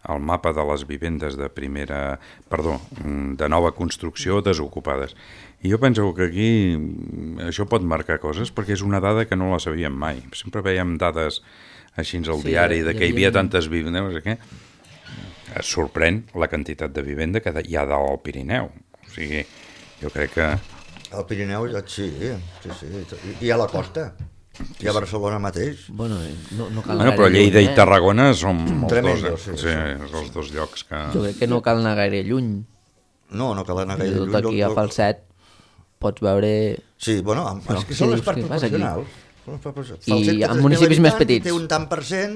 el mapa de les vivendes de primera, perdó, de nova construcció desocupades. I jo penso que aquí això pot marcar coses perquè és una dada que no la sabíem mai. Sempre veiem dades així al sí, diari, de que hi havia tantes vivendes, no sé què. Es sorprèn la quantitat de vivenda que hi ha dalt al Pirineu. O sigui, jo crec que... Al Pirineu, sí, sí, sí. I a la costa. I a Barcelona mateix. Bueno, no, no cal bueno, però Lleida lluny, eh? I Tarragona són els Tremendo, dos, eh? sí, sí, sí, sí, els dos llocs que... Jo crec que no cal anar gaire lluny. No, no cal anar gaire lluny. Tot aquí a Falset pots veure... Sí, bueno, no, és que són sí, les parts proporcionals. I en municipis més petits. Té un tant per cent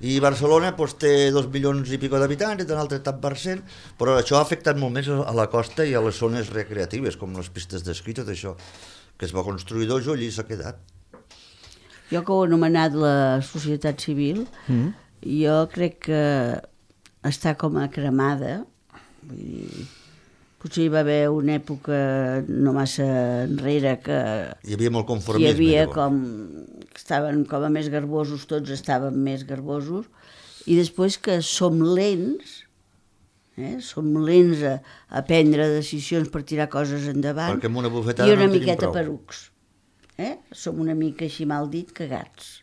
i Barcelona pues, té dos milions i pico d'habitants i té un altre tant per cent, però això ha afectat molt més a la costa i a les zones recreatives, com les pistes d'esquí, tot això, que es va construir d'Ojo, allí s'ha quedat. Jo que ho he anomenat la societat civil, mm. jo crec que està com a cremada, vull dir, potser hi va haver una època no massa enrere que hi havia molt conformisme. Hi havia com que estaven com a més garbosos, tots estaven més garbosos, i després que som lents, eh? som lents a, a prendre decisions per tirar coses endavant, perquè amb una bufetada i una no miqueta prou. perucs. Eh? Som una mica així mal dit cagats.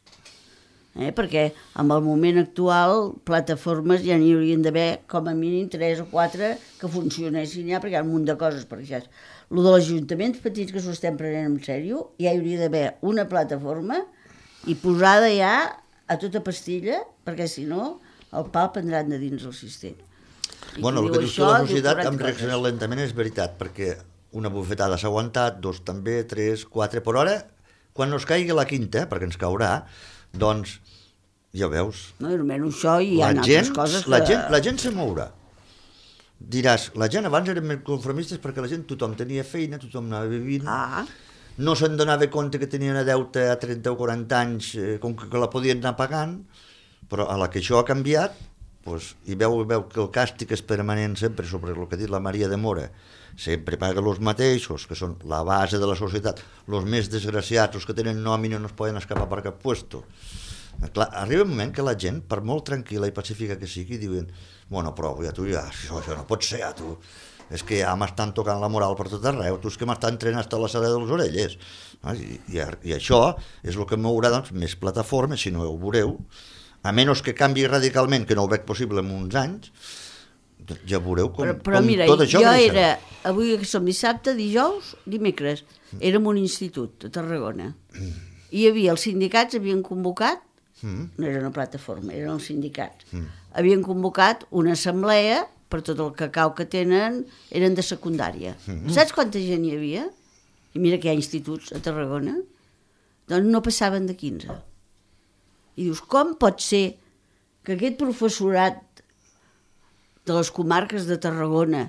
Eh? Perquè amb el moment actual plataformes ja n'hi haurien d'haver com a mínim tres o quatre que funcionessin ja, perquè hi ha un munt de coses per això. El de els ajuntaments petits que s'ho estem prenent en sèrio, ja hi hauria d'haver una plataforma i posada ja a tota pastilla, perquè si no el pal prendran de dins el sistema. I bueno, el que dius tu, la societat hem reaccionat lentament és veritat, perquè una bufetada s'ha aguantat, dos també, tres, quatre, però ara, quan no es caigui la quinta, perquè ens caurà, doncs, ja veus, no, almenys això i hi ha la altres gent, coses que... La gent, la gent se mourà. Diràs, la gent abans eren més conformistes perquè la gent, tothom tenia feina, tothom anava vivint, ah. no se'n donava compte que tenien una deute a trenta o quaranta anys, eh, com que, que la podien anar pagant, però a la que això ha canviat, doncs, i veu, veu que el càstig és permanent sempre sobre el que ha dit la Maria de Mora, sempre paguen els mateixos, que són la base de la societat, els més desgraciats, els que tenen nòmina no es poden escapar per cap puesto. Clar, arriba un moment que la gent, per molt tranquil·la i pacífica que sigui, diuen, bueno, però ja tu ja, això, això no pot ser, ja tu, és que ja m'estan tocant la moral per tot arreu, tu és que m'estan trenant hasta la sala de les orelles. I, i, i això és el que mourà doncs, més plataformes, si no ho veureu, a menys que canvi radicalment, que no ho veig possible en uns anys, ja veureu com, però, però com mira, tot això jo creixerà. era, avui que som dissabte, dijous, dimecres, érem un institut a Tarragona. I hi havia, els sindicats havien convocat, mm. no era una plataforma, eren els sindicats, mm. havien convocat una assemblea per tot el cacau que tenen, eren de secundària. Mm. Saps quanta gent hi havia? I mira que hi ha instituts a Tarragona. Doncs no passaven de quinze. I dius, com pot ser que aquest professorat de les comarques de Tarragona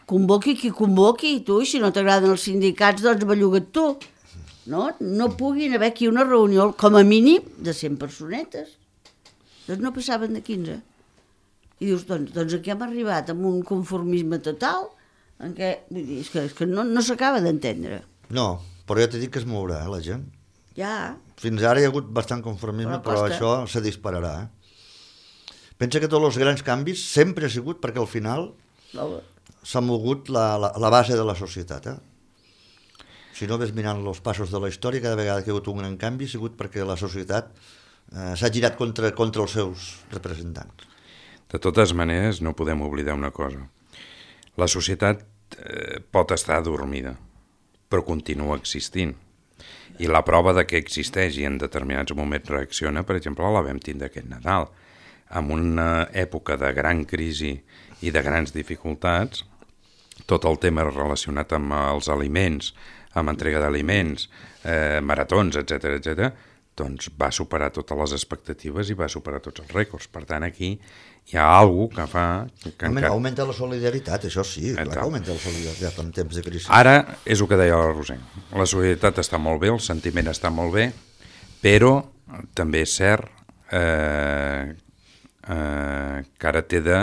convoqui qui convoqui, i tu, i si no t'agraden els sindicats, doncs belluga't tu. No? No puguin haver aquí una reunió, com a mínim, de cent personetes. Doncs no passaven de quinze. I dius, doncs, doncs aquí hem arribat amb un conformisme total, en què, vull dir, és que, és que no, no s'acaba d'entendre. No, però ja t'he dit que es mourà, eh, la gent. Ja. Fins ara hi ha hagut bastant conformisme, però, però això se dispararà. Eh? Pensa que tots els grans canvis sempre ha sigut perquè al final s'ha mogut la, la, la base de la societat. Eh? Si no ves mirant els passos de la història, cada vegada que hi ha hagut un gran canvi ha sigut perquè la societat eh, s'ha girat contra, contra els seus representants. De totes maneres, no podem oblidar una cosa. La societat eh, pot estar adormida, però continua existint. I la prova de que existeix i en determinats moments reacciona, per exemple, la vam tindre aquest Nadal. En una època de gran crisi i de grans dificultats, tot el tema relacionat amb els aliments, amb entrega d'aliments, eh, maratons, etcètera, etcètera, doncs va superar totes les expectatives i va superar tots els rècords. Per tant, aquí hi ha alguna cosa que fa... Que augmenta, encara... augmenta la solidaritat, això sí, clar que augmenta la solidaritat en temps de crisi. Ara és el que deia la Roser. La solidaritat està molt bé, el sentiment està molt bé, però també és cert eh, eh, que ara té de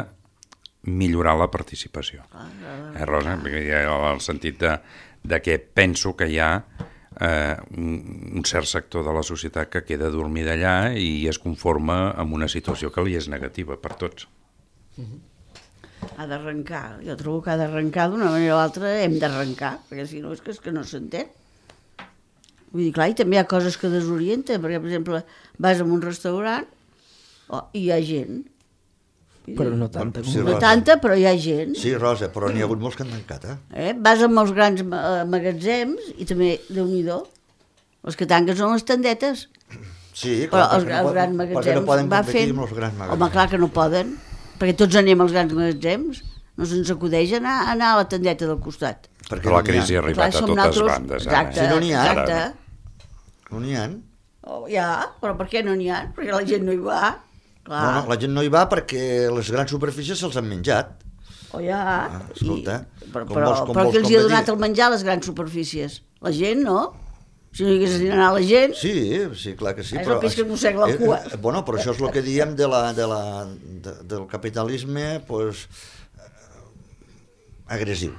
millorar la participació. Eh, Rosa? En el sentit de, de que penso que hi ha eh, un, un cert sector de la societat que queda dormida allà i es conforma amb una situació que li és negativa per tots. Ha d'arrencar. Jo trobo que ha d'arrencar d'una manera o altra, hem d'arrencar, perquè si no és que, és que no s'entén. Vull dir, clar, i també hi ha coses que desorienten, perquè, per exemple, vas a un restaurant oh, i hi ha gent. Però no tanta. Sí, no Rosa. tanta, però hi ha gent. Sí, Rosa, però n'hi ha hagut molts que han tancat, eh? eh? Vas a molts grans ma- magatzems i també, Déu-n'hi-do, els que tanquen són les tendetes. Sí, Però clar, els, perquè els no, grans pot- perquè magatzems no poden va competir fent... amb els grans magatzems. Home, clar que no poden, perquè tots anem als grans magatzems, no se'ns acudeix anar, anar a la tendeta del costat. Perquè Però la no n'hi ha. crisi ha arribat Clar, a som totes nosaltres- bandes. Ara, Exacte, Si no n'hi ha, exacte. No n'hi ha. Oh, ja, però per què no n'hi ha? Perquè la gent no hi va. Clar. No, no, la gent no hi va perquè les grans superfícies se'ls han menjat. Oh, ja. Ah, escolta, I, però com però, vols- com però vols qui els hi ha donat competir? el menjar a les grans superfícies? La gent, no? Si no hi hagués d'anar la gent... Sí, sí, clar que sí. És el peix que es mossega la cua. Eh, eh, bueno, però això és el que diem de la, de la, de, del capitalisme pues, eh, agressiu.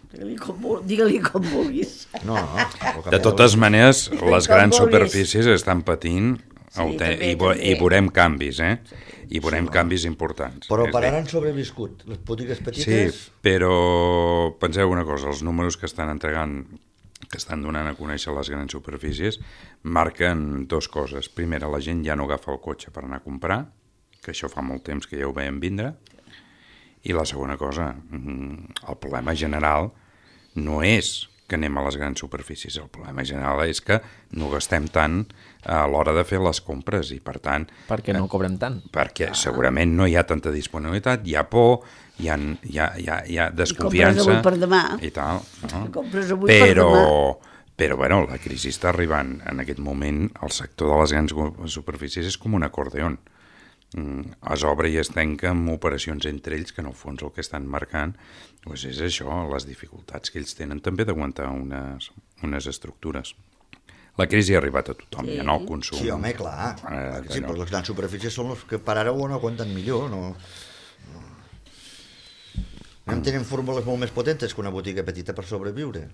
Digue-li com, vul- digue-li com vulguis. No, no. De totes maneres, les Com grans vulguis. superfícies estan patint Sí, aute- també, i, vo- també. i veurem canvis, eh? I veurem canvis importants. Però És per a dir, ara han sobreviscut. Les botigues Sí, petites... però penseu una cosa, els números que estan entregant, que estan donant a conèixer les grans superfícies, marquen dues coses. Primera, la gent ja no agafa el cotxe per anar a comprar, que això fa molt temps que ja ho veiem vindre, i la segona cosa, mm, el problema general no és que anem a les grans superfícies, el problema general és que no gastem tant a l'hora de fer les compres i, per tant... Perquè no cobrem tant. Perquè segurament no hi ha tanta disponibilitat, hi ha por, hi ha, hi ha, hi ha, hi ha desconfiança... avui per demà. I tal, no? I compres avui per però, demà. però, bueno, la crisi està arribant. En aquest moment, el sector de les grans superfícies és com un acordeon. Mm, es obre i es tanca amb operacions entre ells que en el fons el que estan marcant doncs és això, les dificultats que ells tenen també d'aguantar unes, unes estructures. La crisi ha arribat a tothom, sí. Ja no al consum. Sí, home, clar. Eh, clar que sí, no. però les grans superfícies són les que per ara ho aguanten millor. No, no. no tenen fórmules molt més potentes que una botiga petita per sobreviure.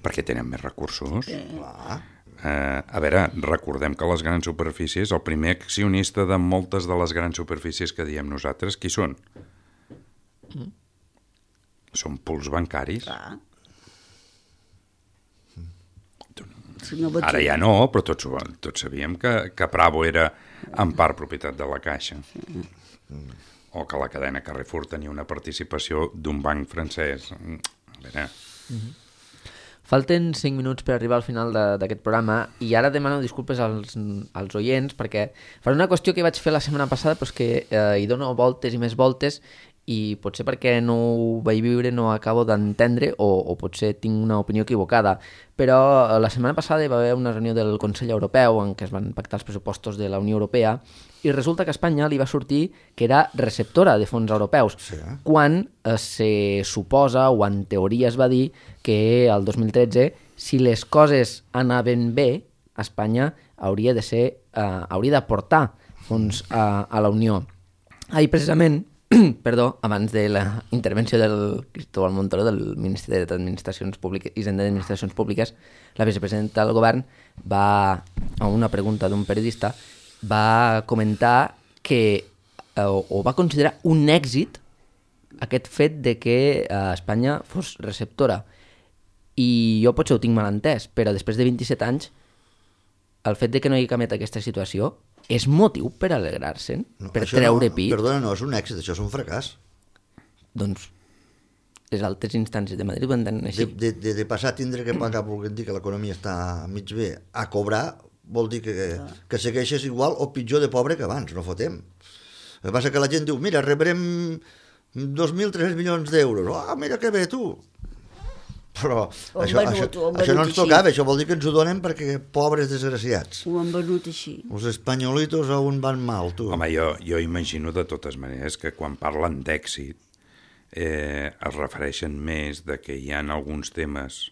Perquè tenen més recursos. Sí. Clar. Eh, a veure, recordem que les grans superfícies, el primer accionista de moltes de les grans superfícies que diem nosaltres, qui són? Mm. Són pools bancaris. Clar. Si no Ara ja no, però tots, tots sabíem que, que Bravo era en part propietat de la Caixa. O que la cadena Carrefour tenia una participació d'un banc francès. A veure... Mm-hmm. Falten cinc minuts per arribar al final d'aquest programa i ara demano disculpes als, als oients perquè faré una qüestió que vaig fer la setmana passada però és que eh, hi dono voltes i més voltes i potser perquè no ho vaig viure no acabo d'entendre o, o potser tinc una opinió equivocada. Però eh, la setmana passada hi va haver una reunió del Consell Europeu en què es van pactar els pressupostos de la Unió Europea i resulta que a Espanya li va sortir que era receptora de fons europeus, sí, eh? quan eh, se suposa, o en teoria es va dir, que el dos mil tretze, si les coses anaven bé, Espanya hauria de ser, eh, hauria d'aportar fons a, a la Unió. Ahir, precisament, perdó, abans de la intervenció del Cristóbal Montoro, del Ministeri d'Administracions Públiques i Hisenda d'Administracions Públiques, la vicepresidenta del govern va, a una pregunta d'un periodista, va comentar que, eh, o va considerar un èxit aquest fet de que eh, Espanya fos receptora. I jo potser ho tinc mal entès, però després de vint-i-set anys, el fet de que no hi canviat aquesta situació és motiu per alegrar-se'n, no, per treure no, pit. Perdona, no és un èxit, això és un fracàs. Doncs les altres instàncies de Madrid ho entenen així. De, de, de passar a tindre que pagar, volguem dir que l'economia està mig bé, a cobrar, vol dir que, que segueixes igual o pitjor de pobre que abans, no fotem. El que passa que la gent diu, mira, rebrem dos mil tres-cents milions d'euros. Ah, oh, mira que bé, tu! Però ho això, venut, això, això no ens tocava, això vol dir que ens ho donen perquè pobres desgraciats. Ho han venut així. Els espanyolitos a on van mal, tu. Home, jo, jo imagino de totes maneres que quan parlen d'èxit eh, es refereixen més de que hi ha alguns temes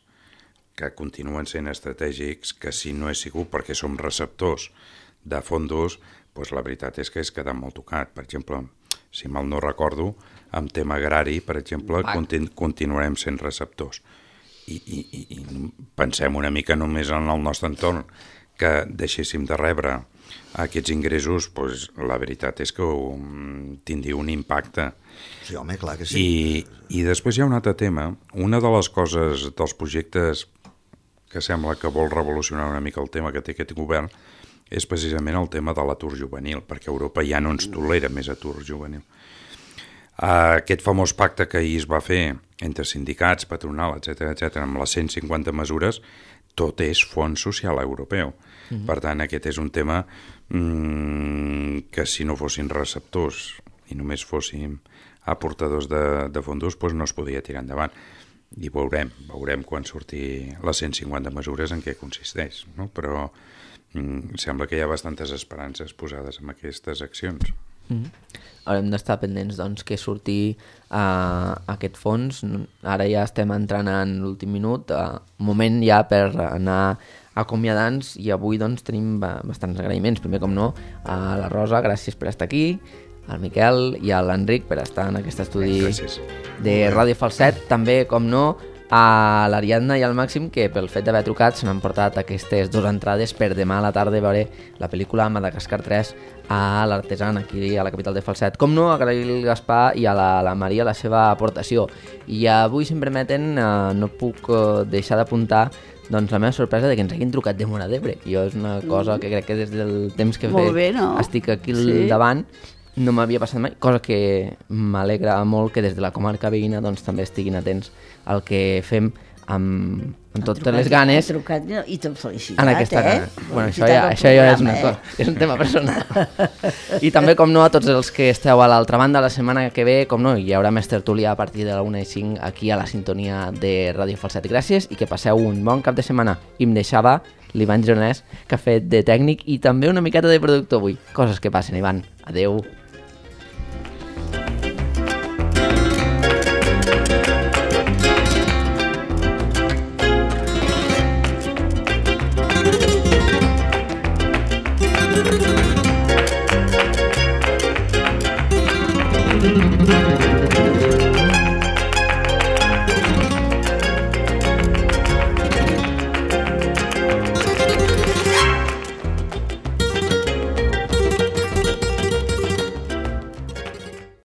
que continuen sent estratègics que si no és sigut perquè som receptors de fondos, doncs la veritat és que és quedat molt tocat. Per exemple, si mal no recordo, amb tema agrari, per exemple, continu continuarem sent receptors. I, i, i pensem una mica només en el nostre entorn que deixéssim de rebre aquests ingressos, doncs, la veritat és que um, tindria un impacte. Sí, home, clar que sí. I, I després hi ha un altre tema. Una de les coses dels projectes que sembla que vol revolucionar una mica el tema que té aquest govern és precisament el tema de l'atur juvenil, perquè Europa ja no ens tolera més atur juvenil. Aquest famós pacte que ahir es va fer entre sindicats, patronal, etcètera, etcètera, amb les cent cinquanta mesures, tot és fons social europeu. Mm-hmm. Per tant, aquest és un tema mmm, que si no fossin receptors i només fóssim aportadors de, de fondos, doncs no es podria tirar endavant. I veurem, veurem quan surti les cent cinquanta mesures en què consisteix, no? Però mmm, sembla que hi ha bastantes esperances posades en aquestes accions. Mm-hmm. Haurem d'estar pendents doncs, que surti uh, aquest fons. Ara ja estem entrant en l'últim minut, uh, moment ja per anar acomiadant-nos, i avui doncs, tenim bastants agraïments. Primer, com no, a la Rosa, gràcies per estar aquí, al Miquel i a l'Enric per estar en aquest estudi gràcies. De Ràdio Falset. També, com no, a l'Ariadna i al Màxim, que pel fet d'haver trucat se n'han portat aquestes dues entrades per demà a la tarda veure la pel·lícula Madagascar tres a l'Artesan, aquí a la capital de Falset. Com no, agrair al Gaspar i a la, la Maria la seva aportació. I avui, si em permeten, eh, no puc eh, deixar d'apuntar doncs, la meva sorpresa de que ens hagin trucat de Móra d'Ebre. Jo és una cosa que crec que des del temps que Molt bé, no? estic aquí al sí. davant no m'havia passat mai, cosa que m'alegra molt que des de la comarca veïna doncs, també estiguin atents al que fem amb, amb totes trucat, les ganes. Ha trucat i t'hem felicitat, en aquesta eh? Bueno, això ja, això ja és una cosa, és un tema personal. I també, com no, a tots els que esteu a l'altra banda, la setmana que ve, com no, hi haurà més tertúlia a partir de la una i cinc aquí a la sintonia de Ràdio Falset. Gràcies i que passeu un bon cap de setmana. I em deixava l'Ivan Gironès, que ha fet de tècnic i també una miqueta de productor avui. Coses que passen, Ivan. Adeu. Thank you.